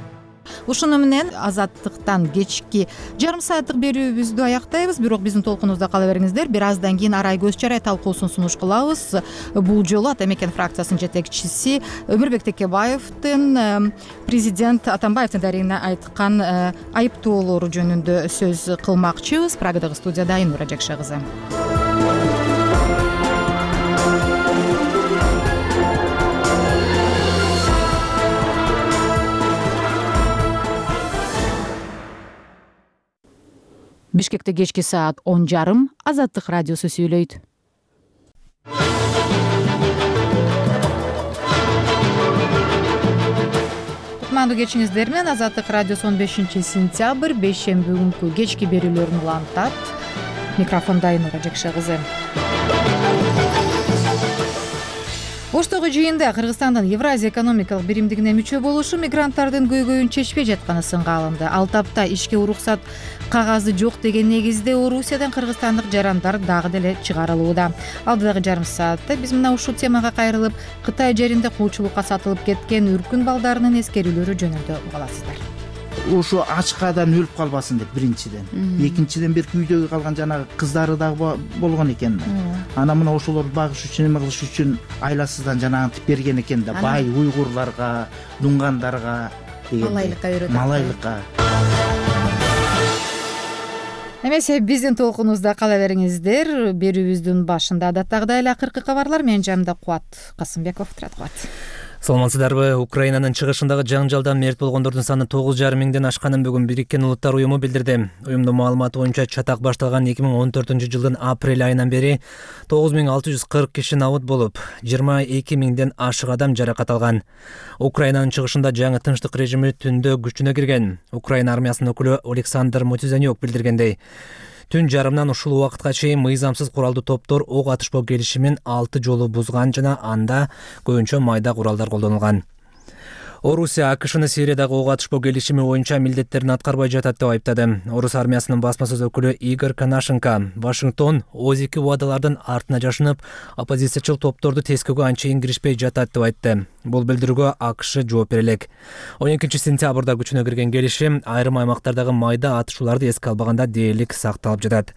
Ушуну менен Азаттыктан кечки жарым сааттык берүүбүздү аяктайбыз. Бирок биздин толкунубузда кала бериңиздер. Бир аздан кийин Арай көз чарай талкуусун сунуш кылабыз. Бул жолу Ата мекен фракциясынын жетекчиси Өмүрбек Текебаевдин президент Атамбаевдин дарегине айткан айыптоолору жөнүндө сөз кылмакчыбыз. Прагадагы студияда Айнура Жакша кызы. Бишкекте кечки саат он жарым Азаттык радиосу сүйлөйт. Кутмандуу кечиңиздер менен Азаттык радиосу он бешинчи сентябрь бейшемби күнкү кечки берүүлөрүн улантат. Микрофондо Айнура Жакша кызы. Оштогу жыйында Кыргызстандын Евразия экономикалык биримдигине мүчө болушу мигранттардын көйгөйүн чечпей жатканы сынга алынды. Ал тапта ишке уруксат кагазы жок деген негизде Орусиядан кыргызстандык жарандар дагы деле чыгарылууда. Алдыдагы жарым саатта биз мына ушул темага кайрылып, Кытай жеринде кулчулукка сатылып кеткен үркүн балдарынын эскерүүлөрү жөнүндө уга аласыздар. Ошо ачкадан өлүп калбасын деп биринчиден. Экинчиден бир күйдөгү калган жанагы кыздары дагы болгон экен. Анан мына ошолорду багыш үчүн, эме кылыш үчүн айласыздан жанагынтип берген экен да. Бай уйгурларга, дунгандарга деген. Малайлыкка үйрөтөт. Малайлыкка. Эмесе биздин толкунубузда кала бериңиздер. Берүүбүздүн башында адаттагыдай эле акыркы кабарлар менен жамда Кубат Касымбеков турат. Кубат. Саламатсыздарбы? Украинанын чыгышындагы жаңжалдан мерт болгондордун саны тогуз жарым миңден ашканын бүгүн Бириккен Улуттар уюму билдирди. Уюмдун маалыматы боюнча чатак башталган эки миң он төртүнчү жылдын апрель айынан бери тогуз миң алты жүз кырк киши набыт болуп, жыйырма эки миңден ашык адам жаракат алган. Украинанын чыгышында жаңы тынчтык режими түндө күчүнө кирген. Украина армиясынын өкүлү Александр Мотизанюк билдиргендей, түн жарымдан ушул убакытка чейин мыйзамсыз куралдуу топтор ок атышпоо келишимин алты жолу бузган жана анда көбүнчө майда куралдар колдонулган. Орусия АКШны Сириядагы ок атышпоо келишими боюнча милдеттерин аткарбай жатат деп айыптады. Орус армиясынын басма сөз өкүлү Игорь Конашенко Вашингтон оз эки убадалардын артына жашынып, оппозициячыл топторду тескөөгө анчейин киришпей жатат деп айтты. Бул билдирүүгө АКШ жооп бере элек. он экинчи сентябрда күчүнө кирген келишим айрым аймактардагы майда атышууларды эске албаганда дээрлик сакталып жатат.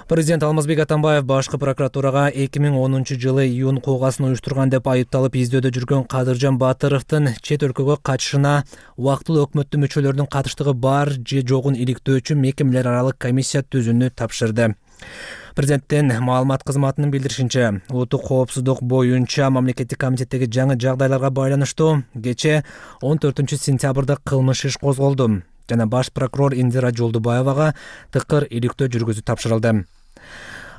Президент Алмазбек Атамбаев башкы прокуратурага эки миң онунчу жылы июнь куугасын уюштурган деп айыпталып издөөдө жүргөн Кадыржан Батыровдун чет өлкөгө качышына убактылуу өкмөттүн мүчөлөрүнүн катыштыгы бар же жогун иликтөө үчүн мекемелер аралык комиссия түзүүнү тапшырды. Президенттин маалымат кызматынын билдиришинче, улуттук коопсуздук боюнча мамлекеттик комитеттеги жаңы жагдайларга байланыштуу кечээ он төртүнчү сентябрда кылмыш иш козголду жана баш прокурор Индира Жолдубаевага тыкыр иликтөө жүргүзүү тапшырылды.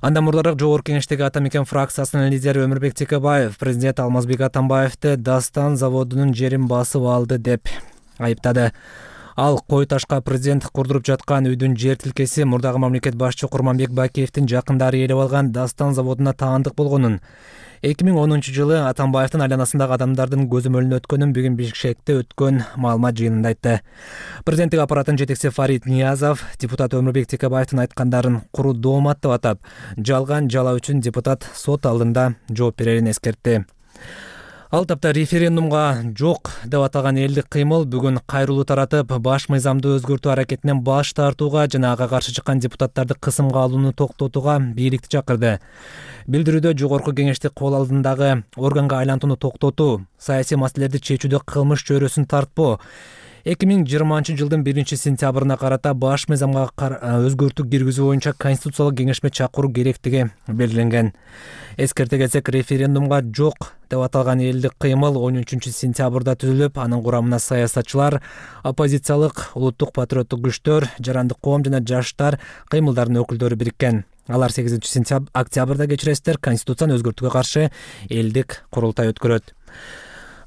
Андан мурдараак Жогорку Кеңештеги Ата мекен фракциясынын лидери Өмүрбек Текебаев президент Алмазбек Атамбаевди Дастан заводунун жерин басып алды деп айыптады. Ал Кой Ташка президент курдуруп жаткан үйдүн жер тилкеси мурдагы мамлекет башчы Курманбек Бакиевдин жакындары ээлеп алган Дастан заводуна таандык болгонун, эки миң онунчу жылы Атамбаевдин айланасындагы адамдардын көзөмөлүнө өткөнүн бүгүн Бишкекте өткөн маалымат жыйынында айтты. Президенттик аппараттын жетекчиси Фарид Ниязов депутат Өмүрбек Текебаевдин айткандарын куру доомат деп атап, жалган жала үчүн депутат сот алдында жооп берерин эскертти. Ал тапта референдумга жок деп аталган элдик кыймыл бүгүн кайрылуу таратып, баш мыйзамды өзгөртүү аракетинен баш тартууга жана ага каршы чыккан депутаттарды кысымга алууну токтотууга бийликти чакырды. Билдирүүдө Жогорку Кеңешти кол алдындагы органга айлантууну токтотуу, саясий маселелерди чечүүдө кылмыш чөйрөсүн тартпоо, эки миң жыйырманчы жылдын биринчи сентябрына карата баш мыйзамга өзгөртүү киргизүү боюнча конституциялык кеңешме чакыруу керектиги белгиленген. Эскерте кетсек, референдумга жок деп аталган элдик кыймыл он үчүнчү сентябрда түзүлүп, анын курамына саясатчылар, оппозициялык, улуттук патриоттук күчтөр, жарандык коом жана жаштар кыймылдарынын өкүлдөрү бириккен. Алар сегизинчи октябрда кечиресиздер, конституцияны өзгөртүүгө каршы элдик курултай өткөрөт.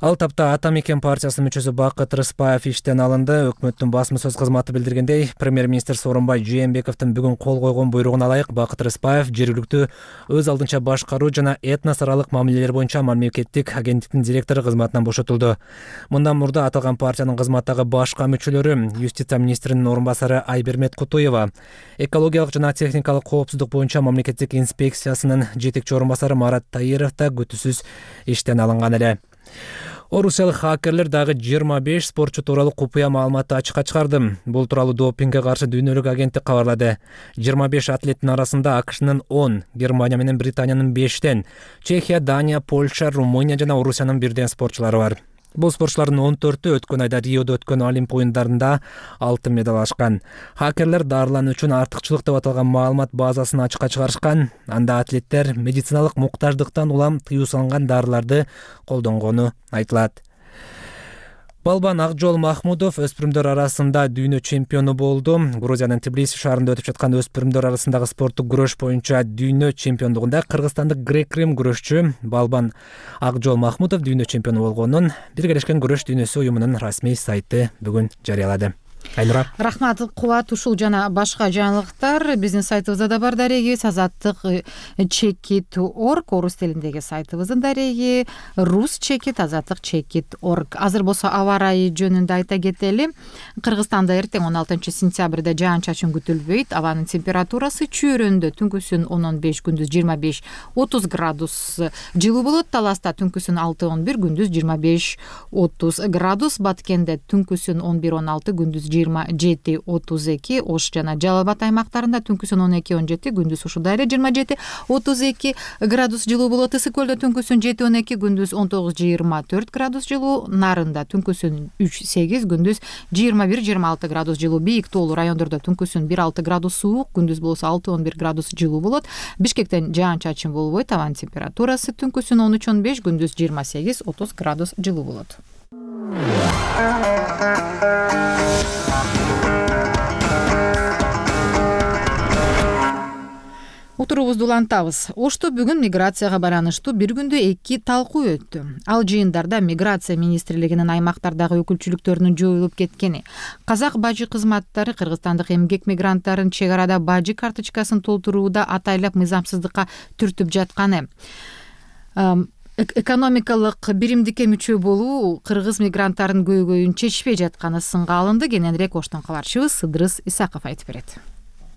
Ал тапта Ата мекен партиясынын мүчөсү Бакыт Рыспаев иштен алынды. Өкмөттүн басма сөз кызматы билдиргендей, премьер-министр Сооронбай Жээнбековдун бүгүн кол койгон буйругуна ылайык Бакыт Рыспаев жергиликтүү өз алдынча башкаруу жана этнос аралык мамилелер боюнча мамлекеттик агенттиктин директору кызматынан бошотулду. Мындан мурда аталган партиянын кызматтагы башка мүчөлөрү юстиция министринин орун басары Айбермет Кутуева, экологиялык жана техникалык коопсуздук боюнча мамлекеттик инспекциясынын жетекчи орун басары Марат Таиров да күтүүсүз иштен алынган эле. Орусиялык хакерлер дагы жыйырма беш спортчу тууралуу купуя маалыматты ачыкка чыгарды. Бул тууралуу допингге каршы дүйнөлүк агенттик кабарлады. жыйырма беш атлеттин арасында АКШнын он, Германия менен Британиянын бештен, Чехия, Дания, Польша, Румыния жана Орусиянын бирден спортчулары бар. Бул спортчулардын он төртү өткөн айда Риодо өткөн Олимп оюндарында алтын медаль алышкан. Хакерлер дарылануу үчүн артыкчылык деп аталган маалымат базасын ачыкка чыгарышкан. Анда атлеттер медициналык муктаждыктан улам тыюу салынган дарыларды колдонгону айтылат. Балбан Акжол Махмудов өспүрүмдөр арасында дүйнө чемпиону болду. Грузиянын Тбилиси шаарында өтүп жаткан өспүрүмдөр арасындагы спорттук күрөш боюнча дүйнө чемпиондугунда кыргызстандык грек-рим күрөшчү Балбан Акжол Махмудов дүйнө чемпиону болгонун Биргелешкен күрөш дүйнөсү уюмунун расмий сайты бүгүн жарыялады. Айнура. Рахмат, Кубат, ушул жана башка жаңылыктар биздин сайтыбызда да бар. Дареги азаттык чекит точка орг, орус тилиндеги сайтыбыздын дареги, рус чекит азаттык чекит точка орг. Азыр болсо аба ырайы жөнүндө айта кетели. Кыргызстанда эртең он алтынчы сентябрда жаан-чачын күтүлбөйт. Абанын температурасы чүйрөндө түнкүсүн он он беш, күндүз жыйырма беш отуз градус жылуу болот. Таласта түнкүсүн алты он бир, күндүз жыйырма беш отуз градус. Баткенде түнкүсүн он бир он алты, күндүз жыйырма жети отуз эки, Ош жана Жалал Абад аймактарында түнкүсүн он эки он жети, күндүз ушундай эле жыйырма жети отуз эки градус жылуу болот. Ысык көлдө түнкүсүн жети он эки, күндүз он тогуз жыйырма төрт градус жылуу. Нарында түнкүсүн үч сегиз, күндүз жыйырма бир жыйырма алты градус жылуу. Бийик тоолуу райондордо түнкүсүн бир алты градус суук, күндүз болсо алты он бир градус жылуу болот. Бишкектен жаан-чачын болбойт. Абанын температурасы түнкүсүн он үч он беш, күндүз жыйырма сегиз отуз градус жылуу болот. Утурубузду улантабыз. Ошто бүгүн миграцияга байланыштуу бир күндө эки талкуу өттү. Ал жыйындарда миграция министрлигинин аймактардагы өкүлчүлүктөрүнүн жоюлуп кеткени, казак бажы кызматтары кыргызстандык эмгек мигранттарын чек арада бажы карточкасын толтурууда атайлап мыйзамсыздыкка түртүп жатканы, экономикалык биримдикке мүчө болуу кыргыз мигранттарынын көйгөйүн чечпей жатканы сынга алынды. Кененирээк Оштон кабарчыбыз Сыдырыс Исаков айтып берет.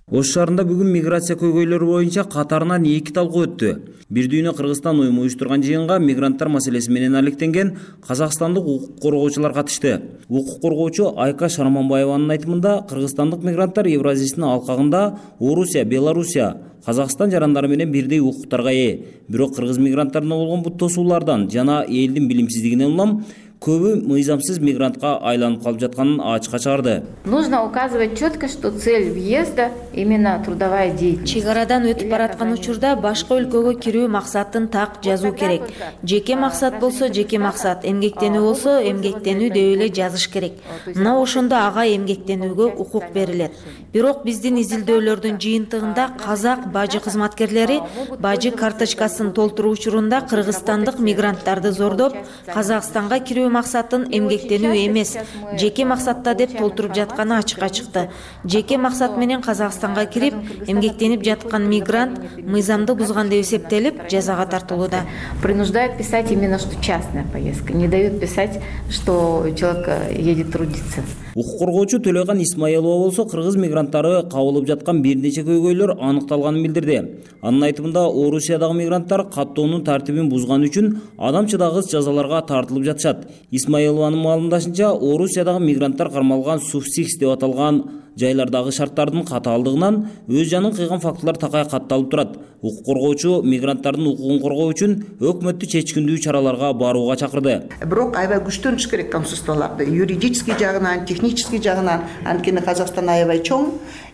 Ош шаарында бүгүн миграция көйгөйлөрү боюнча катарынан эки талкуу өттү. Бир дүйнө Кыргызстан уюму уюштурган жыйынга мигранттар маселеси менен алектенген казакстандык укук коргоочулар катышты. Укук коргоочу Айка Шарманбаеванын айтымында кыргызстандык мигранттар Евразиянын алкагында Орусия, Белоруссия, Казакстан жарандары менен бирдей укуктарга ээ. Бирок кыргыз мигранттарына болгон бут тосуулардан жана элдин билимсиздигинен улам көбү мыйзамсыз мигрантка айланып калып жатканын ачыкка чыгарды. Нужно указывать четко, что цель въезда именно трудовая деятельность. Чек арадан өтүп бараткан учурда башка өлкөгө кирүү максатын так жазуу керек. Жеке максат болсо жеке максат, эмгектенүү болсо эмгектенүү деп эле жазыш керек. Мына ошондо ага эмгектенүүгө укук берилет. Бирок биздин изилдөөлөрдүн жыйынтыгында казак бажы кызматкерлери бажы карточкасын толтуруу учурунда кыргызстандык мигранттарды зордоп, Казакстанга кирүү максатын эмгектенүү эмес, жеке максатта деп толтуруп жатканы ачыкка чыкты. Жеке максат менен Казакстанга кирип, эмгектенип жаткан мигрант мыйзамды бузган деп эсептелип, жазага тартылууда. Принуждают писать именно что частная поездка, не дают писать, что человек едет трудиться. Укук коргоочу Төлөган Исмаилова болсо кыргыз мигранттары кабылып жаткан бир нече көйгөйлөр аныкталганын билдирди. Анын айтымында Орусиядагы мигранттар каттоонун тартибин бузган үчүн адам чыдагыс жазаларга тартылып жатышат. Исмаилованын маалымдашынча, Орусиядагы мигранттар кармалган субсикс деп аталган жайлардагы шарттардын катаалдыгынан өз жанын кыйган фактылар такай катталып турат. Укук коргоочу мигранттардын укугун коргоо үчүн өкмөттү чечкиндүү чараларга барууга чакырды. Бирок аябай күчтөнүш керек консульстволорду, юридический жагынан, технический жагынан, анткени Казакстан аябай чоң,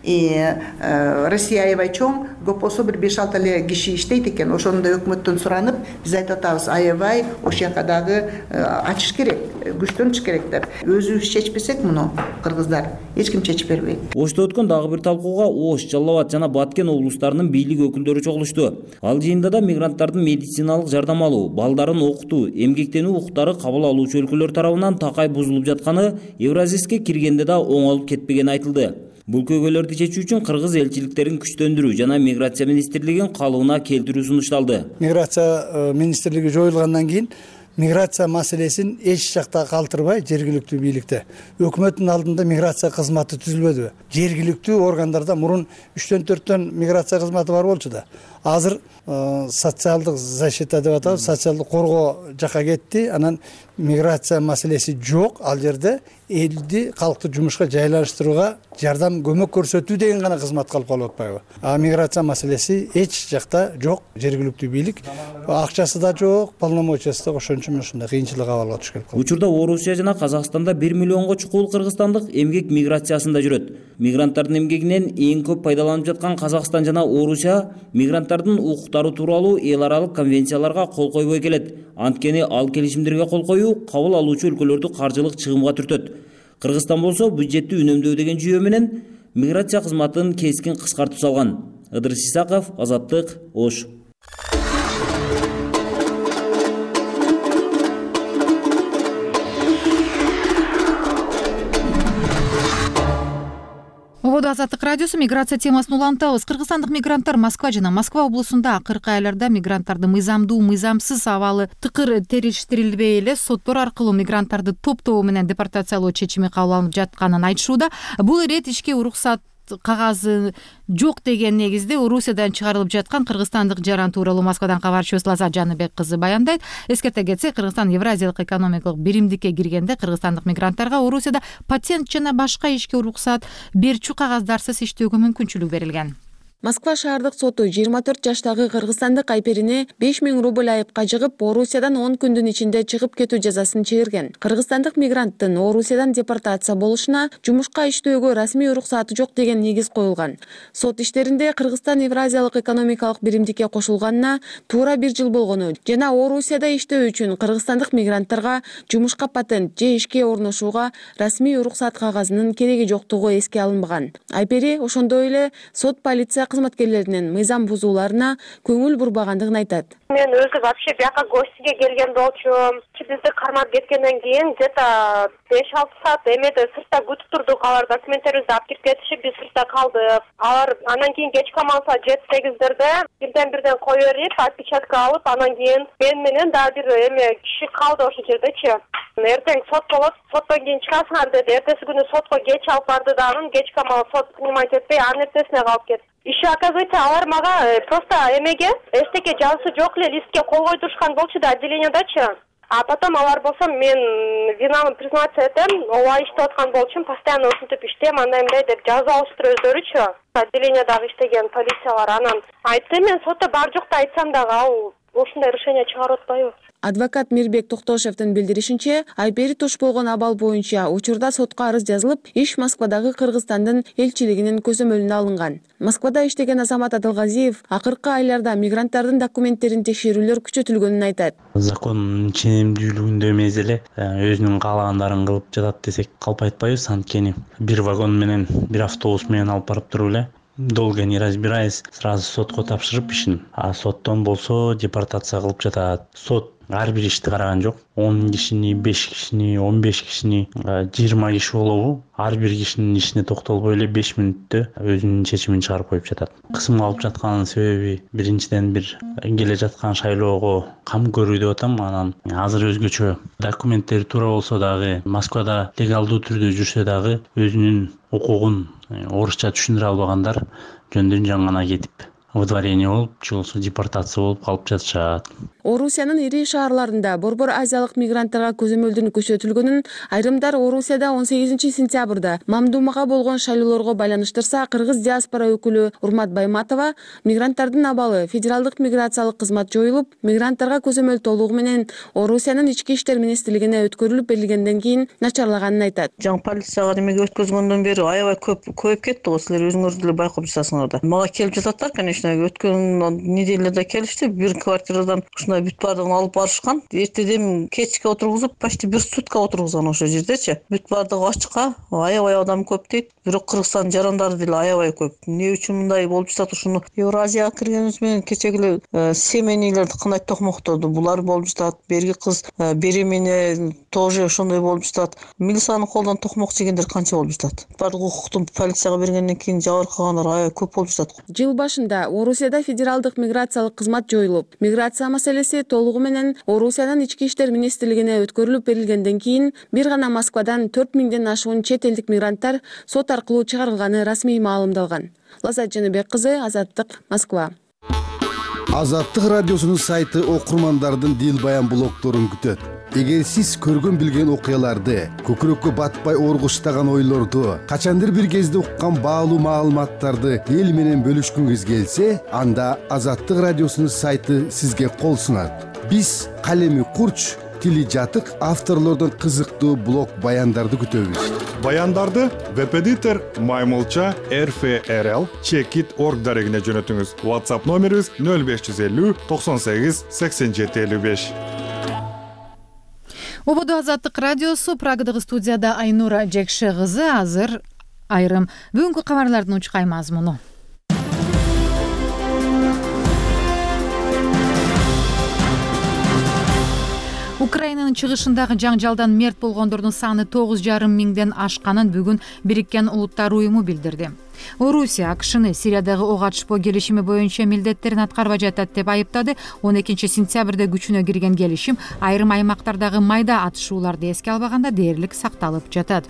Россия аябай чоң, көп болсо бир беш алты эле киши иштейт экен. Ошондо өкмөттөн суранып, биз айтып атабыз, аябай ошол жака дагы ачыш керек, күчтөнүш керек деп. Өзүбүз чечпесек муну кыргыздар эч ким чечип бербейт. Ошто өткөн дагы бир талкууга Ош, Жалал Абад жана Баткен облустарынын бийлик өкүлдөрү чогулушту. Ал жыйында да мигранттардын медициналык жардам алуу, балдарын окутуу, эмгектенүү укуктары кабыл алуучу өлкөлөр тарабынан такай бузулуп жатканы Евразиске киргенде да оңолуп кетпегени айтылды. Бул көйгөйлөрдү чечүү үчүн кыргыз элчиликтерин күчтөндүрүү жана миграция министрлигин калыбына келтирүү сунушталды. Миграция министрлиги жоюлгандан кийин миграция маселесин эч жакта калтырбай жергиликтүү бийликте өкмөттүн алдында миграция кызматы түзүлбөдүбү? Жергиликтүү органдарда мурун үчтөн төрттөн миграция кызматы бар болчу да. Азыр социалдык защита деп атабыз, социалдык коргоо жака кетти. Анан миграция маселеси жок. Ал жерде элди калкты жумушка жайлаштырууга жардам көмөк көрсөтүү деген гана кызмат калып калып атпайбы? А миграция маселеси эч жакта жок. Жергиликтүү бийлик акчасы да жок, полномочиясы да ошон үчүн ушундай кыйынчылык абалга түшүп калды. Учурда Орусия жана Казакстанда бир миллионго чукул кыргызстандык эмгек миграциясында жүрөт. Мигранттардын эмгегинен эң көп пайдаланып жаткан Казакстан жана Орусия мигранттардын укуктары тууралуу эл аралык конвенцияларга кол койбой келет. Анткени ал келишимдерге кол коюу кабыл алуучу өлкөлөрдү каржылык чыгымга түртөт. Кыргызстан болсо бюджетти үнөмдөө деген жүйө менен миграция кызматын кескин кыскартып салган. Ыдырыс Исаков, Азаттык, Ош. Ободо Азаттык радиосу миграция темасын улантабыз. Кыргызстандык мигранттар Москва жана Москва облусунда акыркы айларда мигранттарды мыйзамдуу, мыйзамсыз абалы тыкыр териштирилбей эле соттор аркылуу мигранттарды топтоо менен депортациялоо чечими кабыл алынып жатканын айтышууда. Бул ирет ишке уруксат кагазы жок деген негизде Орусиядан чыгарылып жаткан кыргызстандык жаран тууралуу Москвадан кабарчыбыз Лаза Жаныбек кызы баяндайт. Эскерте кетсек, Кыргызстан Евразиялык экономикалык биримдикке киргенде кыргызстандык мигранттарга Орусияда патент жана башка ишке уруксат берчү кагаздарсыз иштөөгө мүмкүнчүлүк берилген. Москва шаардык соту жыйырма төрт жаштагы кыргызстандык Айперине беш миң рубль айыпка жыгып, Орусиядан он күндүн ичинде чыгып кетүү жазасын чыгарган. Кыргызстандык мигранттын Орусиядан депортация болушуна жумушка иштөөгө расмий уруксаты жок деген негиз коюлган. Сот иштеринде Кыргызстан Евразиялык экономикалык биримдикке кошулганына туура бир жыл болгону жана Орусияда иштөө үчүн кыргызстандык мигранттарга жумушка патент же ишке орношууга расмий уруксат кагазынын кереги жоктугу эске алынбаган. Айпери ошондой эле сот полиция кызматкерлеринин мыйзам бузууларына көңүл бурбагандыгын айтат. Мен өзү вообще бияка гостиге келген болчумун. Бизди кармап кеткенден кийин где-то беш алты саат эмеде сыртта күтүп турдук. Алар документтерибизди алып кирип кетишип, биз сыртта калдык. Алар анан кийин кечки амалса жети сегиздерде бирден бирден кое берип, отпечатка алып, анан кийин мен менен дагы бир эме киши калды ошол жердечи. Эртең сот болот, соттон кийин чыгасыңар деди. Эртеси күнү сотко кеч алып барды дагы, кечки амал сот принимать этпей, анын эртесине калып кетти. Иши, оказывается, алар мага просто эмеге эстеке жазуусу жок эле листке кол койдурушкан болчу да отделениядачы. А потом алар болсо мен винамды признаться этем, ооба иштеп аткан болчумун, постоянно ушинтип иштейм, андай мындай деп жазуу алыштырып өздөрүчү. Отделениядагы иштеген полициялар анан айтты, мен сотто бар жокду айтсам дагы ал ушундай решение чыгарып атпайбы. Адвокат Мирбек Токтошевдин билдиришинче, Айпери туш болгон абал боюнча учурда сотко арыз жазылып, иш Москвадагы Кыргызстандын элчилигинин көзөмөлүнө алынган. Москвада иштеген Азамат Адылгазиев акыркы айларда мигранттардын документтерин текшерүүлөр күчөтүлгөнүн айтат. Закондун ченемдүүлүгүндө эмес эле өзүнүн каалагандарын кылып жатат десек калп айтпайбыз, анткени бир вагон менен, бир автобус менен алып барып туруп эле долго не разбираясь, сразу сотко тапшырып ишин. А соттон болсо депортация кылып жатат. Сот ар бир ишти караган жок. он кишини, беш кишини, он беш кишини, жыйырма киши болобу? Ар бир кишинин ишине токтолбой эле беш мүнөттө өзүнүн чечимин чыгарып коюп жатат. Кысымга алып жатканын себеби биринчиден бир келе жаткан шайлоого кам көрүү деп атам. Анан азыр өзгөчө документтери туура болсо дагы, Москвада легалдуу түрдө жүрсө дагы өзүнүн укугун орусча түшүндүрө албагандар жөндөн жөн гана кетип выдворение болуп, же болбосо депортация болуп калып жатышат. Орусиянын ири шаарларында борбор азиялык мигранттарга көзөмөлдүн күчөтүлгөнүн айрымдар Орусияда он сегизинчи сентябрда мамдумага болгон шайлоолорго байланыштырса, кыргыз диаспора өкүлү Урмат Байматова мигранттардын абалы федералдык миграциялык кызмат жоюлуп, мигранттарга көзөмөл толугу менен Орусиянын ички иштер министрлигине өткөрүлүп берилгенден кийин начарлаганын айтат. Жаңы полицияга немеге өткөзгөндөн бери аябай көп көбөйүп кетти го, силер өзүңөр деле байкап жатасыңар да. Мага келип жататтар, конечно, өткөн неделяда келишти, бир квартирадан ушундай бүт бардыгын алып барышкан. Эртеден кечке отургузуп, почти бир сутка отургузган ошол жердечи. Бүт бардыгы ачыкка, аябай адам көп дейт. Бирок Кыргызстан жарандары деле аябай көп. Эмне үчүн мындай болуп жатат? Ушуну Евразияга киргенибиз менен кечеги эле семейнийлерди кандай токмоктоду, булар болуп жатат. Берги кыз беремене тоже ошондой болуп жатат. Милициянын колдон токмок жегендер канча болуп жатат? Бардык укукту полицияга бергенден кийин жабыркагандар аябай көп болуп жатат. Жыл башында Орусияда федералдык миграциялык кызмат жоюлуп, миграция маселеси толугу менен Орусиянын ички иштер министрлигине өткөрүлүп берилгенден кийин бир гана Москвадан төрт миңден ашуун чет элдик мигранттар сот аркылуу чыгарылганы расмий маалымдалган. Лазат Жаныбек кызы, Азаттык, Москва. Азаттык радиосунун сайты окурмандардын дил баян блогторун күтөт. Эгер сиз көргөн билген окуяларды, көкүрөккө батпай оргуштаган ойлорду, качандыр бир кезде уккан баалуу маалыматтарды эл менен бөлүшкүңүз келсе, анда Азаттык радиосунун сайты сизге кол сунат. Биз калеми курч, тили жатык авторлордон кызыктуу блог баяндарды күтөбүз. Баяндарды веб-эдитор Маймылча эр эф эр эл чекит точка орг дарегине жөнөтүңүз. WhatsApp номерибиз нөл беш жүз элүү токсон сегиз сексен жети элүү беш. Ободу Азаттык радиосу, Прагадагы студияда Айнура Жекше кызы. Азыр айрым бүгүнкү кабарлардын учкай мазмуну. Украинанын чыгышындагы жаңжалдан мерт болгондордун саны тогуз жарым миңден ашканын бүгүн Бириккен Улуттар уюму билдирди. Орусия АКШны Сириядагы ок атышпоо келишими боюнча милдеттерин аткарбай жатат деп айыптады. он экинчи сентябрда күчүнө кирген келишим айрым аймактардагы майда атышууларды эске албаганда дээрлик сакталып жатат.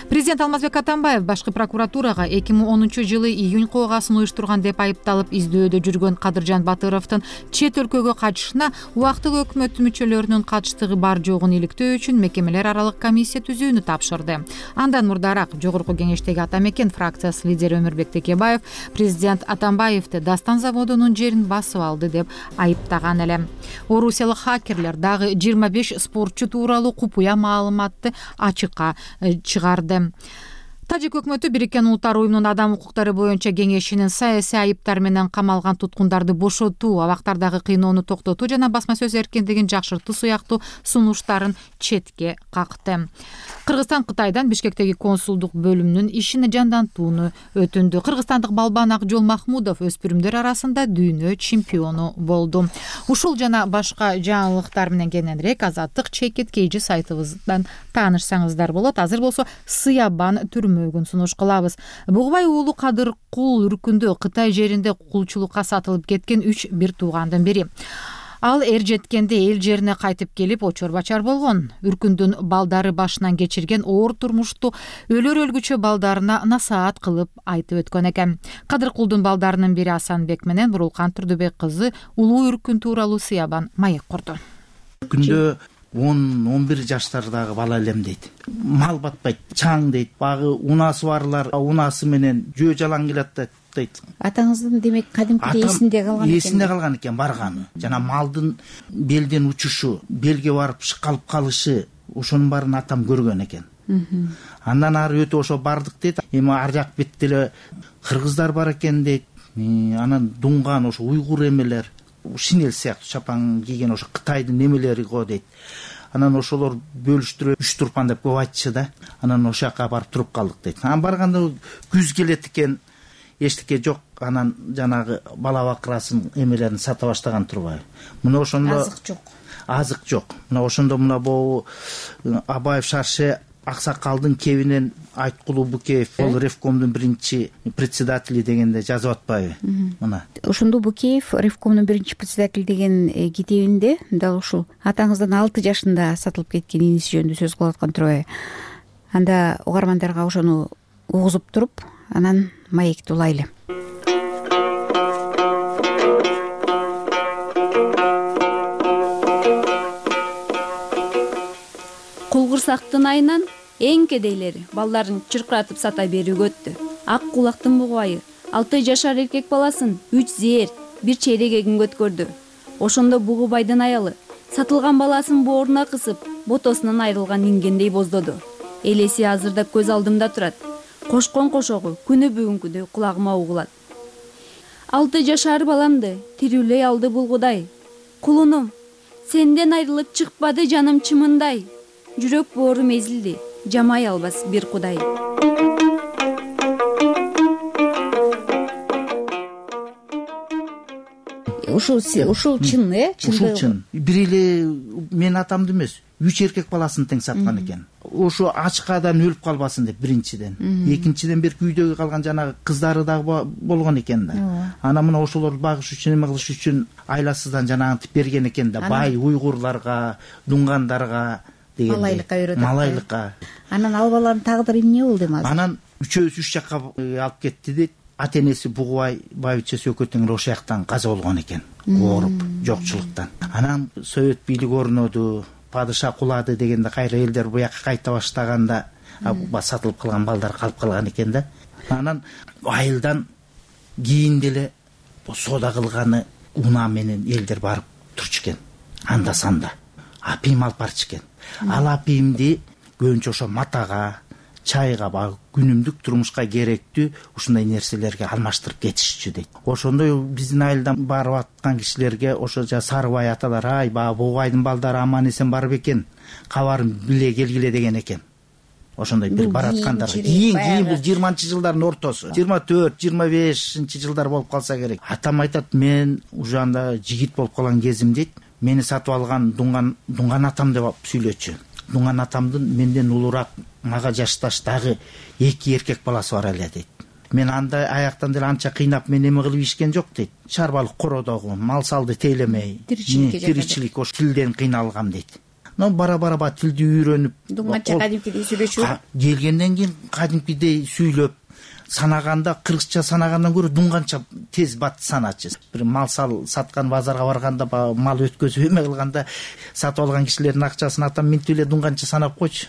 Президент Алмазбек Атамбаев башкы прокуратурага эки миң онунчу жылы июнь коогасын уюштурган деп айыпталып издөөдө жүргөн Кадыржан Батыровдун чет өлкөгө качышына убактылуу өкмөт мүчөлөрүнүн катыштыгы бар жогун иликтөө үчүн мекемелер аралык комиссия түзүүнү тапшырды. Андан мурдараак Жогорку Кеңештеги Ата Мекен фракциясы лидери Өмүрбек Текебаев президент Атамбаевди Дастан заводунун жерин басып алды деп айыптаган эле. Орусиялык хакерлер дагы жыйырма беш спортчу тууралуу купуя маалыматты ачыкка чыгарды. Тажик өкмөтү Бириккен Улуттар уюмунун адам укуктары боюнча кеңешинин саясий айыптар менен камалган туткундарды бошотуу, абактардагы кыйноону токтотуу жана басма сөз эркиндигин жакшыртуу сыяктуу сунуштарын четке какты. Кыргызстан Кытайдан Бишкектеги консулдук бөлүмүнүн ишин жандантууну өтүндү. Кыргызстандык балбан Акжол Махмудов өспүрүмдөр арасында дүйнө чемпиону болду. Ушул жана башка жаңылыктар менен кененирээк Азаттык чекит кейжи сайтыбыздан таанышсаңыздар болот. Азыр болсо Сыябан түрмөгүн сунуш кылабыз. Бугубай уулу Кадыр Кул үркүндө Кытай жеринде кулчулукка сатылып кеткен үч бир туугандын бири. Ал эр жеткенде эл жерине кайтып келип очор бачар болгон. Үркүндүн балдары башынан кечирген оор турмушту өлөр өлгүчө балдарына насаат кылып айтып өткөн экен. Кадыр Кулдун балдарынын бири Асанбек менен Бурулкан Турдубек кызы улуу Үркүн тууралуу Сыябан маек курду. Күндө он он бир жаштардагы бала элем дейт. Мал батпайт, чаң дейт. Багы унасы барлар унасы менен жөө жалаң келет дейт. Атаңыздын демек кадимкидей эсинде калган экен. Эсинде калган экен барганы. Жана малдын белден учушу, белге барып шыкалып калышы, ошонун баарын атам көргөн экен. Андан ары өтүп ошо бардык дейт. Эми ар жак бетте эле кыргыздар бар экен дейт. Анан дуңган ошо уйгур эмелер, шинел сыяктуу чапан кийген ошо Кытайдын эмелери го дейт. Анан ошолор бөлүштүрүп үч турпан деп көп айтчы да. Анан ошол жака барып туруп калдык дейт. Анан барганда күз келет экен. Эчтеке жок, анан жанагы бала бакырасын эмелерин сата баштаган турбайбы. Мына ошондо азык жок. Азык жок. Мына ошондо мына бу Абаев Шарше Аксакалдын кебинен Айткулуу Букеев, ол Ревкомдун биринчи председатели дегенде жазып атпайбы? Мына. Ошондо Букеев Ревкомдун биринчи председатели деген китебинде дал ушул атаңыздын алты жашында сатылып кеткен иниси жөнүндө сөз кылып аткан турбайбы? Анда угармандарга ошону угузуп туруп, анан маекти улайлы. Кулгурсактын айынан эң кедейлери балдарын чыркыратып сата берүүгө өттү. Ак кулактын бугубайы алты жашар эркек баласын үч зээр бир чейрек эгингө өткөрдү. Ошондо бугубайдын аялы сатылган баласын бооруна кысып, ботосунан айрылган ингендей боздоду. Элеси азырда көз алдымда турат. Кошкон кошогу күнү бүгүнкүдөй кулагыма угулат. Алты жашар баламды тирүүлөй алды бул Кудай. Кулунум, сенден айрылып чыкпады жаным чымындай. Жүрөк боорум эзилди, жамай албас бир Кудай. Ушул ушул чын, э? Ушул чын. Бир эле мен атамды эмес, үч эркек баласын тең саткан экен. ошо ачкадан өлүп калбасын деп биринчиден. Экинчиден бир үйдөгү калган жанагы кыздары дагы болгон экен да. Анан мына ошолорду багыш үчүн эме кылыш үчүн айласыздан жанагынтип берген экен да. Бай уйгурларга, дуңгандарга деген. Малайлыкка үйрөтөт. Малайлыкка. Анан ал баланын тагдыры эмне болду эми азыр? Анан үчөөсү үч жакка алып кетти дейт. Ата энеси Бугубай байбичеси экөө тең ошол жактан каза болгон экен. Ооруп, жокчулуктан. Анан совет бийлиги орноду, падыша кулады дегенде кайра элдер буяка кайта баштаганда сатылып калган балдар калып калган экен да. Анан айылдан кийин деле соода кылганы унаа менен элдер барып турчу экен. Анда санда апийим алып барчу экен. Ал апийимди көбүнчө ошо матага, чайга, баягы күнүмдүк турмушка керектүү ушундай нерселерге алмаштырып кетишчү дейт. Ошондой биздин айылдан барып аткан кишилерге ошо жа Сарыбай аталар, ай баягы Бугубайдын балдары аман эсен барып экен, кабарын биле келгиле деген экен. Ошондой бир бараткандар. Кийин кийин бул жыйырманчы жылдардын ортосу. жыйырма төрт, жыйырма бешинчи жылдар болуп калса керек. Атам айтат, мен уже анда жигит болуп калган кезим дейт. Мени сатып алган дуңган дуңган атам деп сүйлөчү. Дуңган атамдын менден улураак, мага жашташ дагы эки эркек баласы бар эле дейт. Мен анда аяктан деле анча кыйнап мен эме кылып ишкен жок дейт. Чарбалык кородогу, мал салды тейлемей, тиричилик ошо тилден кыйналгам дейт. Но бара-бара ба тилди үйрөнүп, дуңганча кадимкидей сүйлөчү. Келгенден кийин кадимкидей сүйлөп, санаганда кыргызча санагандан көрө дуңганча тез бат саначы. Бир мал сал саткан базарга барганда, мал өткөзүп эме кылганда сатып алган кишилердин акчасын атам минтип эле дуңганча санап койчу.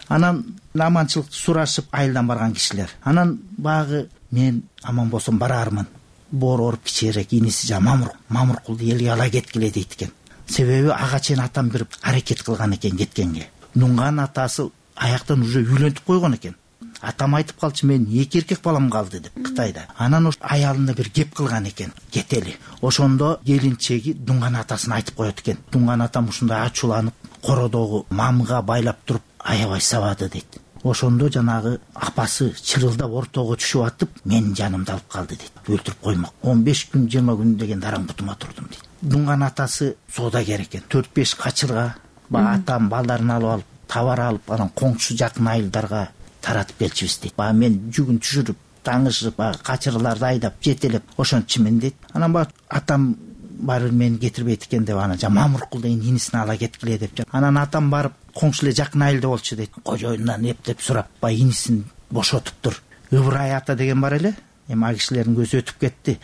Анан аманчылыкты сурашып айылдан барган кишилер. Анан багы мен аман болсом барармын. Боор оруп кичээрээк иниси жа Мамур, Мамуркулду элге ала кеткиле дейт экен. Себеби ага чейин атам бир аракет кылган экен кеткенге. Дуңган атасы аяктан уже үйлөнтүп койгон экен. Атам айтып калчу, мен эки эркек балам калды деп Кытайда. Анан ош аялына бир кеп кылган экен, кетели. Ошондо келинчеги дуңган атасына айтып коет экен. Дуңган атам ушундай ачууланып, кородогу мамга байлап туруп аябай сабады дейт. Ошондо жанагы апасы чырылдап ортого түшүп атып, менин жанымды алып калды дейт. Өлтүрүп коймок. он беш күн, жыйырма күн деген дараң бутума турдум дейт. Дуңган атасы соодагер экен. төрт беш качырга ба атам балдарын алып алып, товар алып, анан коңшу жакын айылдарга таратып келчүбүз дейт. Ба мен жүгүн түшүрүп, таңышып, качырларды айдап, жетелеп ошончумун дейт. Анан ба атам барып мени кетирбейт экен деп анан жа Мамуркул деген инисине ала кеткиле деп. Анан атам барып коңшу эле жакын айылда болчу дейт. Кожоюндан эптеп сурап, ба инисин бошотуптур. Ыбырай ата деген бар эле. Эми ал кишилердин көзү өтүп кетти.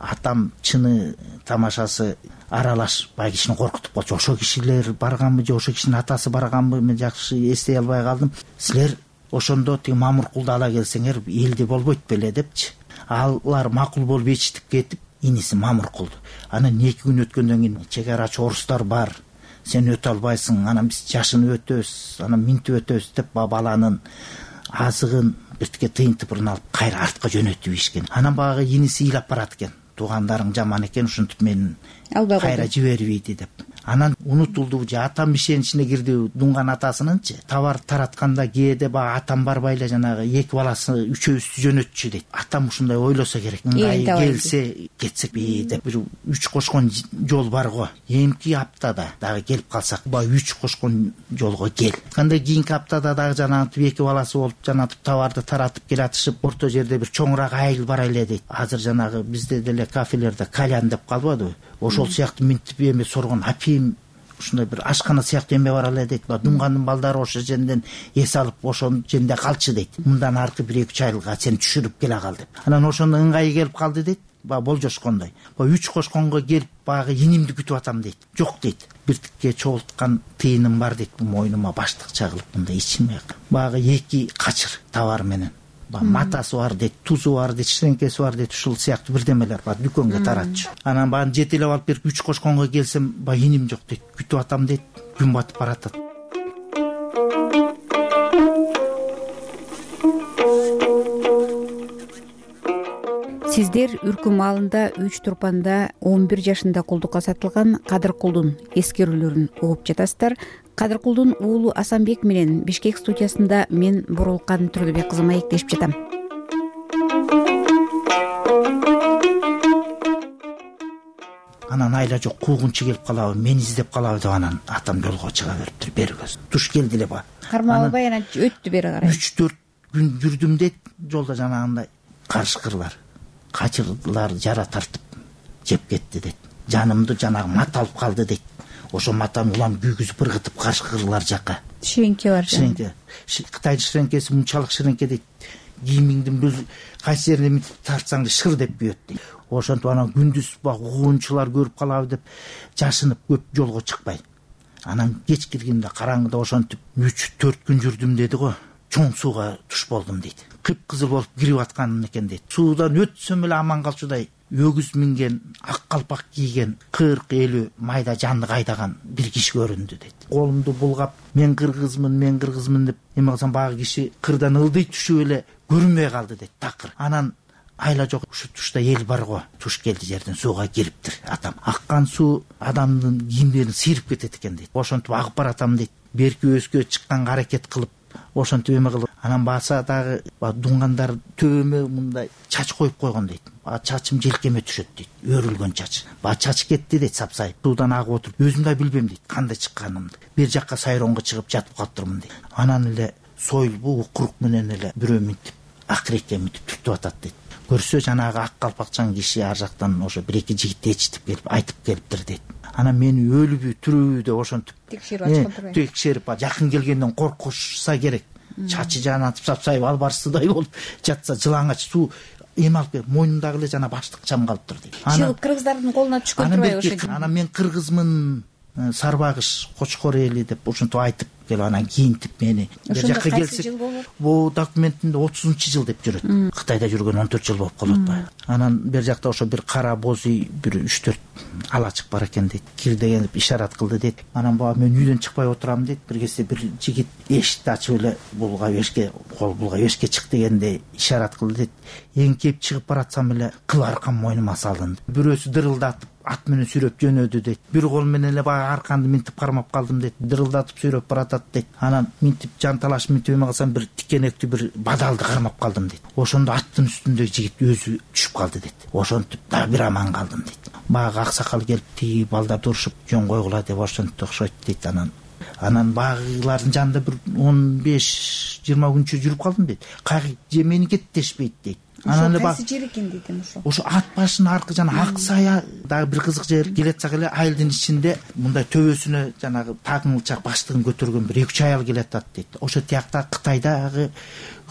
Атам чыны тамашасы аралаш бай кишини коркутуп калчу. Ошо кишилер барганбы же ошо кишинин атасы барганбы, мен жакшы эстей албай калдым. Силер ошондо тиги Мамуркулду ала келсеңер элди болбойт беле депчи. Алар макул болуп ичтип кетип, иниси Мамуркулду. Анан эки күн өткөндөн кийин чек арачы орустар бар. Сен өтө албайсың, анан биз жашыны өтөбүз, анан минтип өтөбүз деп баланын азыгын биртике тыйын тыпырын алып кайра артка жөнөтүп ишкен. Анан багы иниси ыйлап барат экен. Туугандарың жаман экен, ушинтип мени кайра жибербейди деп. Анан унутулду же атам ишеничине кирди дуңган атасынынчы. Товар таратканда кээде баягы атам барбай эле жанагы эки баласы үчөөбүздү жөнөтчү дейт. Атам ушундай ойлосо керек. Мындай келсе кетсекпи деп бир үч кошкон жол бар го. Эмки аптада дагы келип калсак, баягы үч кошкон жолго кел. Кандай кийинки аптада дагы жанагы эки баласы болуп жанагы товарды таратып келатышып, орто жерде бир чоңураак айыл бар эле дейт. Азыр жанагы бизде деле кафелерде кальян деп калбадыбы? Ошол сыяктуу минтип эме соргон апийим ушундай бир ашкана сыяктуу эме бар эле дейт. Дуңгандын балдары ошо жерден эс алып ошол жерде калчы дейт. Мындан аркы бир эки үч айылга сен түшүрүп келе кал деп. Анан ошондо ыңгайы келип калды дейт. Ба болжошкондой. Ба үч кошконго келип багы инимди күтүп атам дейт. Жок дейт. Биртикке чогулткан тыйыным бар дейт. Бу мойнума баштык чагылып мындай ичиме. Багы эки качыр товар менен. Матасы бар дейт, тузу бар дейт, ширеңкеси бар дейт, ушул сыяктуу бирдемелер бар, дүкөнгө таратчу. Анан баарын жетелеп алып берип үч кошконго келсем, ба иним жок дейт, күтүп атам дейт, күн батып баратат. Сиздер Үркү маалында үч турпанда он бир жашында кулдукка сатылган Кадыркулдун эскерүүлөрүн угуп жатасыздар. Кадыркулдун уулу Асанбек менен Бишкек студиясында мен Бурулкан Түрлүбек кызы маектешип жатам. Анан айла жок, куугунчу келип калабы, мени издеп калабы деп анан атам жолго чыга бериптир. Бери көз туш келди эле ба. Кармап албай анан өттү бери карай. үч төрт күн жүрдүм дейт. Жолдо жанагындай карышкырлар, качырлар жара тартып жеп кетти дейт. Жанымды жанагы мат алып калды дейт. Ошо матам улам күйгүзүп ыргытып карышкырлар жака. Ширеңке бар. Ширеңке. Кытайдын ширеңкеси мынчалык ширеңке дейт. Кийимиңдин бир кайсы жерине мынтип тартсаң шыр деп күйөт дейт. Ошентип анан күндүз баг угуунчулар көрүп калабы деп жашынып көп жолго чыкпай. Анан кеч киргенде караңгыда ошентип үч төрт күн жүрдүм деди го. Чоң сууга туш болдум дейт. Кыпкызыл болуп кирип атканым экен дейт. Суудан өтсөм эле аман калчудай өгүз минген, ак калпак кийген, кырк элүү майда жанды кайдаган бир киши көрүндү дейт. Колумду булгап, мен кыргызмын, мен кыргызмын деп эме кылсам багы киши кырдан ылдый түшүп эле көрүнбөй калды дейт. Такыр. Анан айла жок, ушу тушта эл бар го. Туш келди жерден сууга кириптир. Атам аккан суу адамдын кийимдерин сыйрып кетет экен дейт. Ошентип агып баратам дейт. Берки өскө чыкканга аракет кылып, ошентип эме кылып, анан баса дагы дуңгандар төбөмө мындай чач коюп койгон дейт. Чачым желкеме түшөт дейт. Өрүлгөн чач. Ба чач кетти дейт, сапсайып. Суудан агып отуруп, өзүм да билбейм дейт кандай чыкканымды. Бир жакка сайроңго чыгып жатып калыптырмын дейт. Анан эле сойлбу укурук менен эле бирөө минтип акырекке минтип түртүп атат дейт. Көрсө жанагы ак калпакчан киши ар жактан ошо бир эки жигит ээрчитип келип айтып келиптир дейт. Анан мени өлүбү түрүбү деп ошентип текшерип ачкан турбайбы? Текшерип жакын келгенден коркушса керек. Чачы жанатып сапсайып албарсыздай болуп жатса жылаңач суу эме алып келип мойнундагы эле жана баштык чам калыптыр дейт. Анан кыргыздардын колуна түшкөн турбайбы ошо? Анан мен кыргызмын, Сарбагыш, Кочкор эли деп ошентип айтып келип анан кийинтип мени бер жакка келсек, бул документинде отузунчу жыл деп жүрөт. Кытайда жүргөн он төрт жыл болуп калып атпайбы? Анан бер жакта ошо бир кара боз үй бир үч төрт алачык бар экен дейт. Кир деген ишарат кылды дейт. Анан баа мен үйдөн чыкпай отурам дейт. Бир кезде бир жигит эшикти ачып эле булга эшикке, кол булга эшикке чык дегенде ишарат кылды дейт. Эңкеп чыгып баратсам эле кыл аркам мойнума салынды. Бирөөсү дырылдатып ат менен сүйрөп жөнөдү дейт. Бир кол менен эле баягы арканды минтип кармап калдым дейт. Дырылдатып сүйрөп баратат дейт. Анан минтип жан талаш минтип эме кылсам бир тикенектүү бир бадалды кармап калдым дейт. Ошондо аттын үстүндөгү жигит өзү түшүп калды дейт. Ошентип дагы бир аман калдым дейт. Баягы аксакал келип тиги балдарды урушуп жөн койгула деп ошентип окшойт дейт. Анан анан багылардын жанында бир он беш жыйырма күнчө жүрүп калдым дейт. Кайгы же мени кеттешпейт дейт. Анан эле кайсы жер экен дейт ошо. Ошо ат башынын аркы жана ак сая дагы бир кызык жер. Келатсак эле айылдын ичинде мындай төбөсүнө жанагы тагыңылчак баштыгын көтөргөн бир эки үч аял келатат дейт. Ошо тиякта Кытайдагы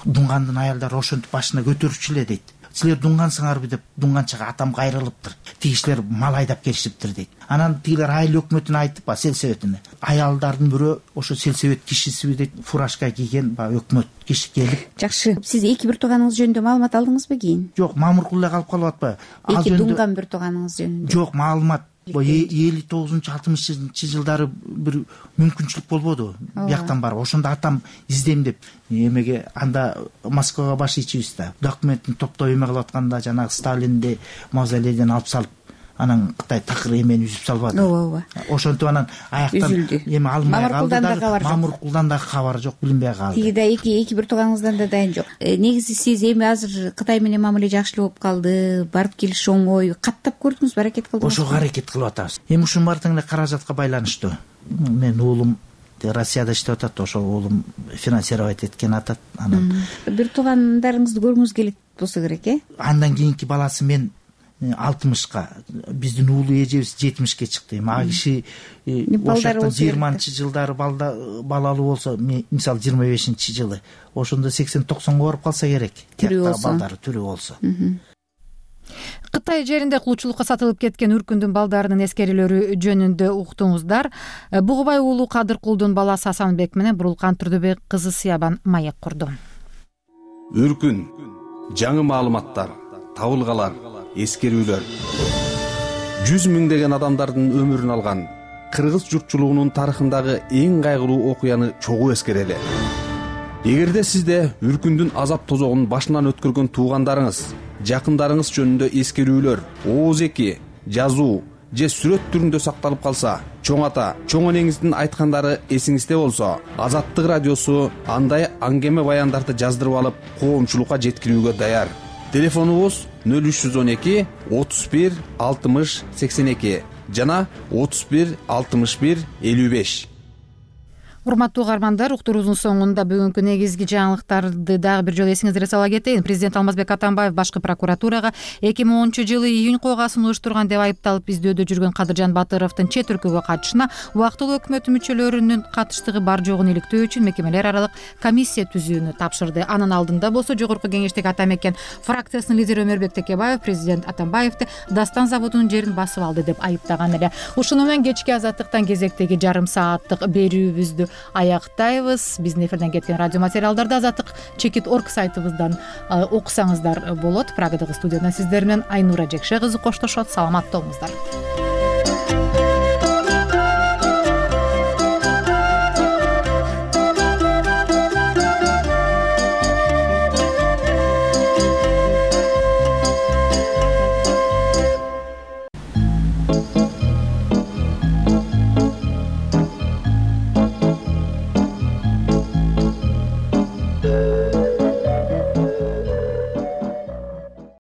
дуңгандын аялдары ошентип башына көтөрүчү эле дейт. Силер дуңгансыңарбы деп дуңганчага атам кайрылыптыр. Тиги кишилер мал айдап келишиптир дейт. Анан тигилер айыл өкмөтүнө айтып, ба сельсоветине. Аялдардын бирөө ошо сельсовет кишисиби дейт, фуражка кийген, ба өкмөт киши келип. Жакшы. Сиз эки бир тууганыңыз жөнүндө маалымат алдыңызбы кийин? Жок, мамыркул эле калып калып атпайбы? Эки дуңган бир тууганыңыз жөнүндө. Жок, маалымат элүү тогузунчу алтымышынчы жылдары бир мүмкүнчүлүк болбоду. Бияктан барып, ошондо атам издейм деп эмеге анда Москвага баш ийчибиз да. Документин топтоп эме кылып атканда жанагы Сталинди мавзолейден алып салып, анан Кытай такыр эмени үзүп салбады. Ооба, ооба. Ошентип анан аяктан эме алмай калды. Мамыркулдан да кабар жок, билинбей калды. Тиги да эки эки бир тууганыңыздан да дайын жок. Негизи сиз эми азыр Кытай менен мамиле жакшы болуп калды, барып келиш оңой. Каттап көрдүңүзбү, аракет кылдыңызбы? Ошого аракет кылып атабыз. Эми ушунун баары тең эле каражатка байланыштуу. Мен уулум Россияда иштеп атат, ошо уулум финансировать эткен атат. Анан бир туугандарыңызды көргүңүз келет болсо керек, э? Андан кийинки баласы мен алтымышка, биздин уулу эжебиз жетимишке чыкты. Эми а киши ошондо жыйырманчы жылдары балалуу болсо, мисалы жыйырма бешинчи жылы, ошондо сексен токсонго барып калса керек. Тияктагы балдары тирүү болсо. Кытай жеринде кулчулукка сатылып кеткен үркүндүн балдарынын эскерүүлөрү жөнүндө уктуңуздар. Бугубай уулу Кадыркулдун баласы Асанбек менен Бурулкан Турдубек кызы Сыябан маек курду. Үркүн, жаңы маалыматтар, табылгалар, эскерүүлөр. жүз миңдеген адамдардын өмүрүн алган кыргыз журтчулугунун тарыхындагы эң кайгылуу окуяны чогуу эскерели. Эгерде сизде үркүндүн азап тозогун башынан өткөргөн туугандарыңыз, жакындарыңыз жөнүндө эскерүүлөр, ооз эки, жазуу же сүрөт түрүндө сакталып калса, чоң ата, чоң энеңиздин айткандары эсиңизде болсо, Азаттык радиосу андай аңгеме баяндарды жаздырып алып, коомчулукка жеткирүүгө даяр. Телефонубуз нөл үч жүз он эки отуз бир алтымыш сексен эки. жана отуз бир алтымыш бир элүү беш. Урматтуу угармандар, уктуруубуздун соңунда бүгүнкү негизги жаңылыктарды дагы бир жолу эсиңиздерге сала кетейин. Президент Алмазбек Атамбаев башкы прокуратурага эки миң онунчу жылы июнь койгаасын уюштурган деп айыпталып издөөдө жүргөн Кадыржан Батыровдун чет өлкөгө качышына убактылуу өкмөт мүчөлөрүнүн катыштыгы бар жогун иликтөө үчүн мекемелер аралык комиссия түзүүнү тапшырды. Анын алдында болсо жогорку кеңештеги ата мекен фракциясынын лидери Өмөрбек Текебаев президент Атамбаевди Дастан заводунун жерин басып алды деп айыптаган эле. Ушуну менен кечки Азаттыктан кезектеги жарым сааттык берүүбүздү аяктайбыз. Биздин эфирден кеткен радио материалдарды Азаттык чекит точка орг сайтыбыздан окусаңыздар болот. Прагадагы студиядан сиздер менен Айнура Жекше кызы коштошот. Саламатта болуңуздар.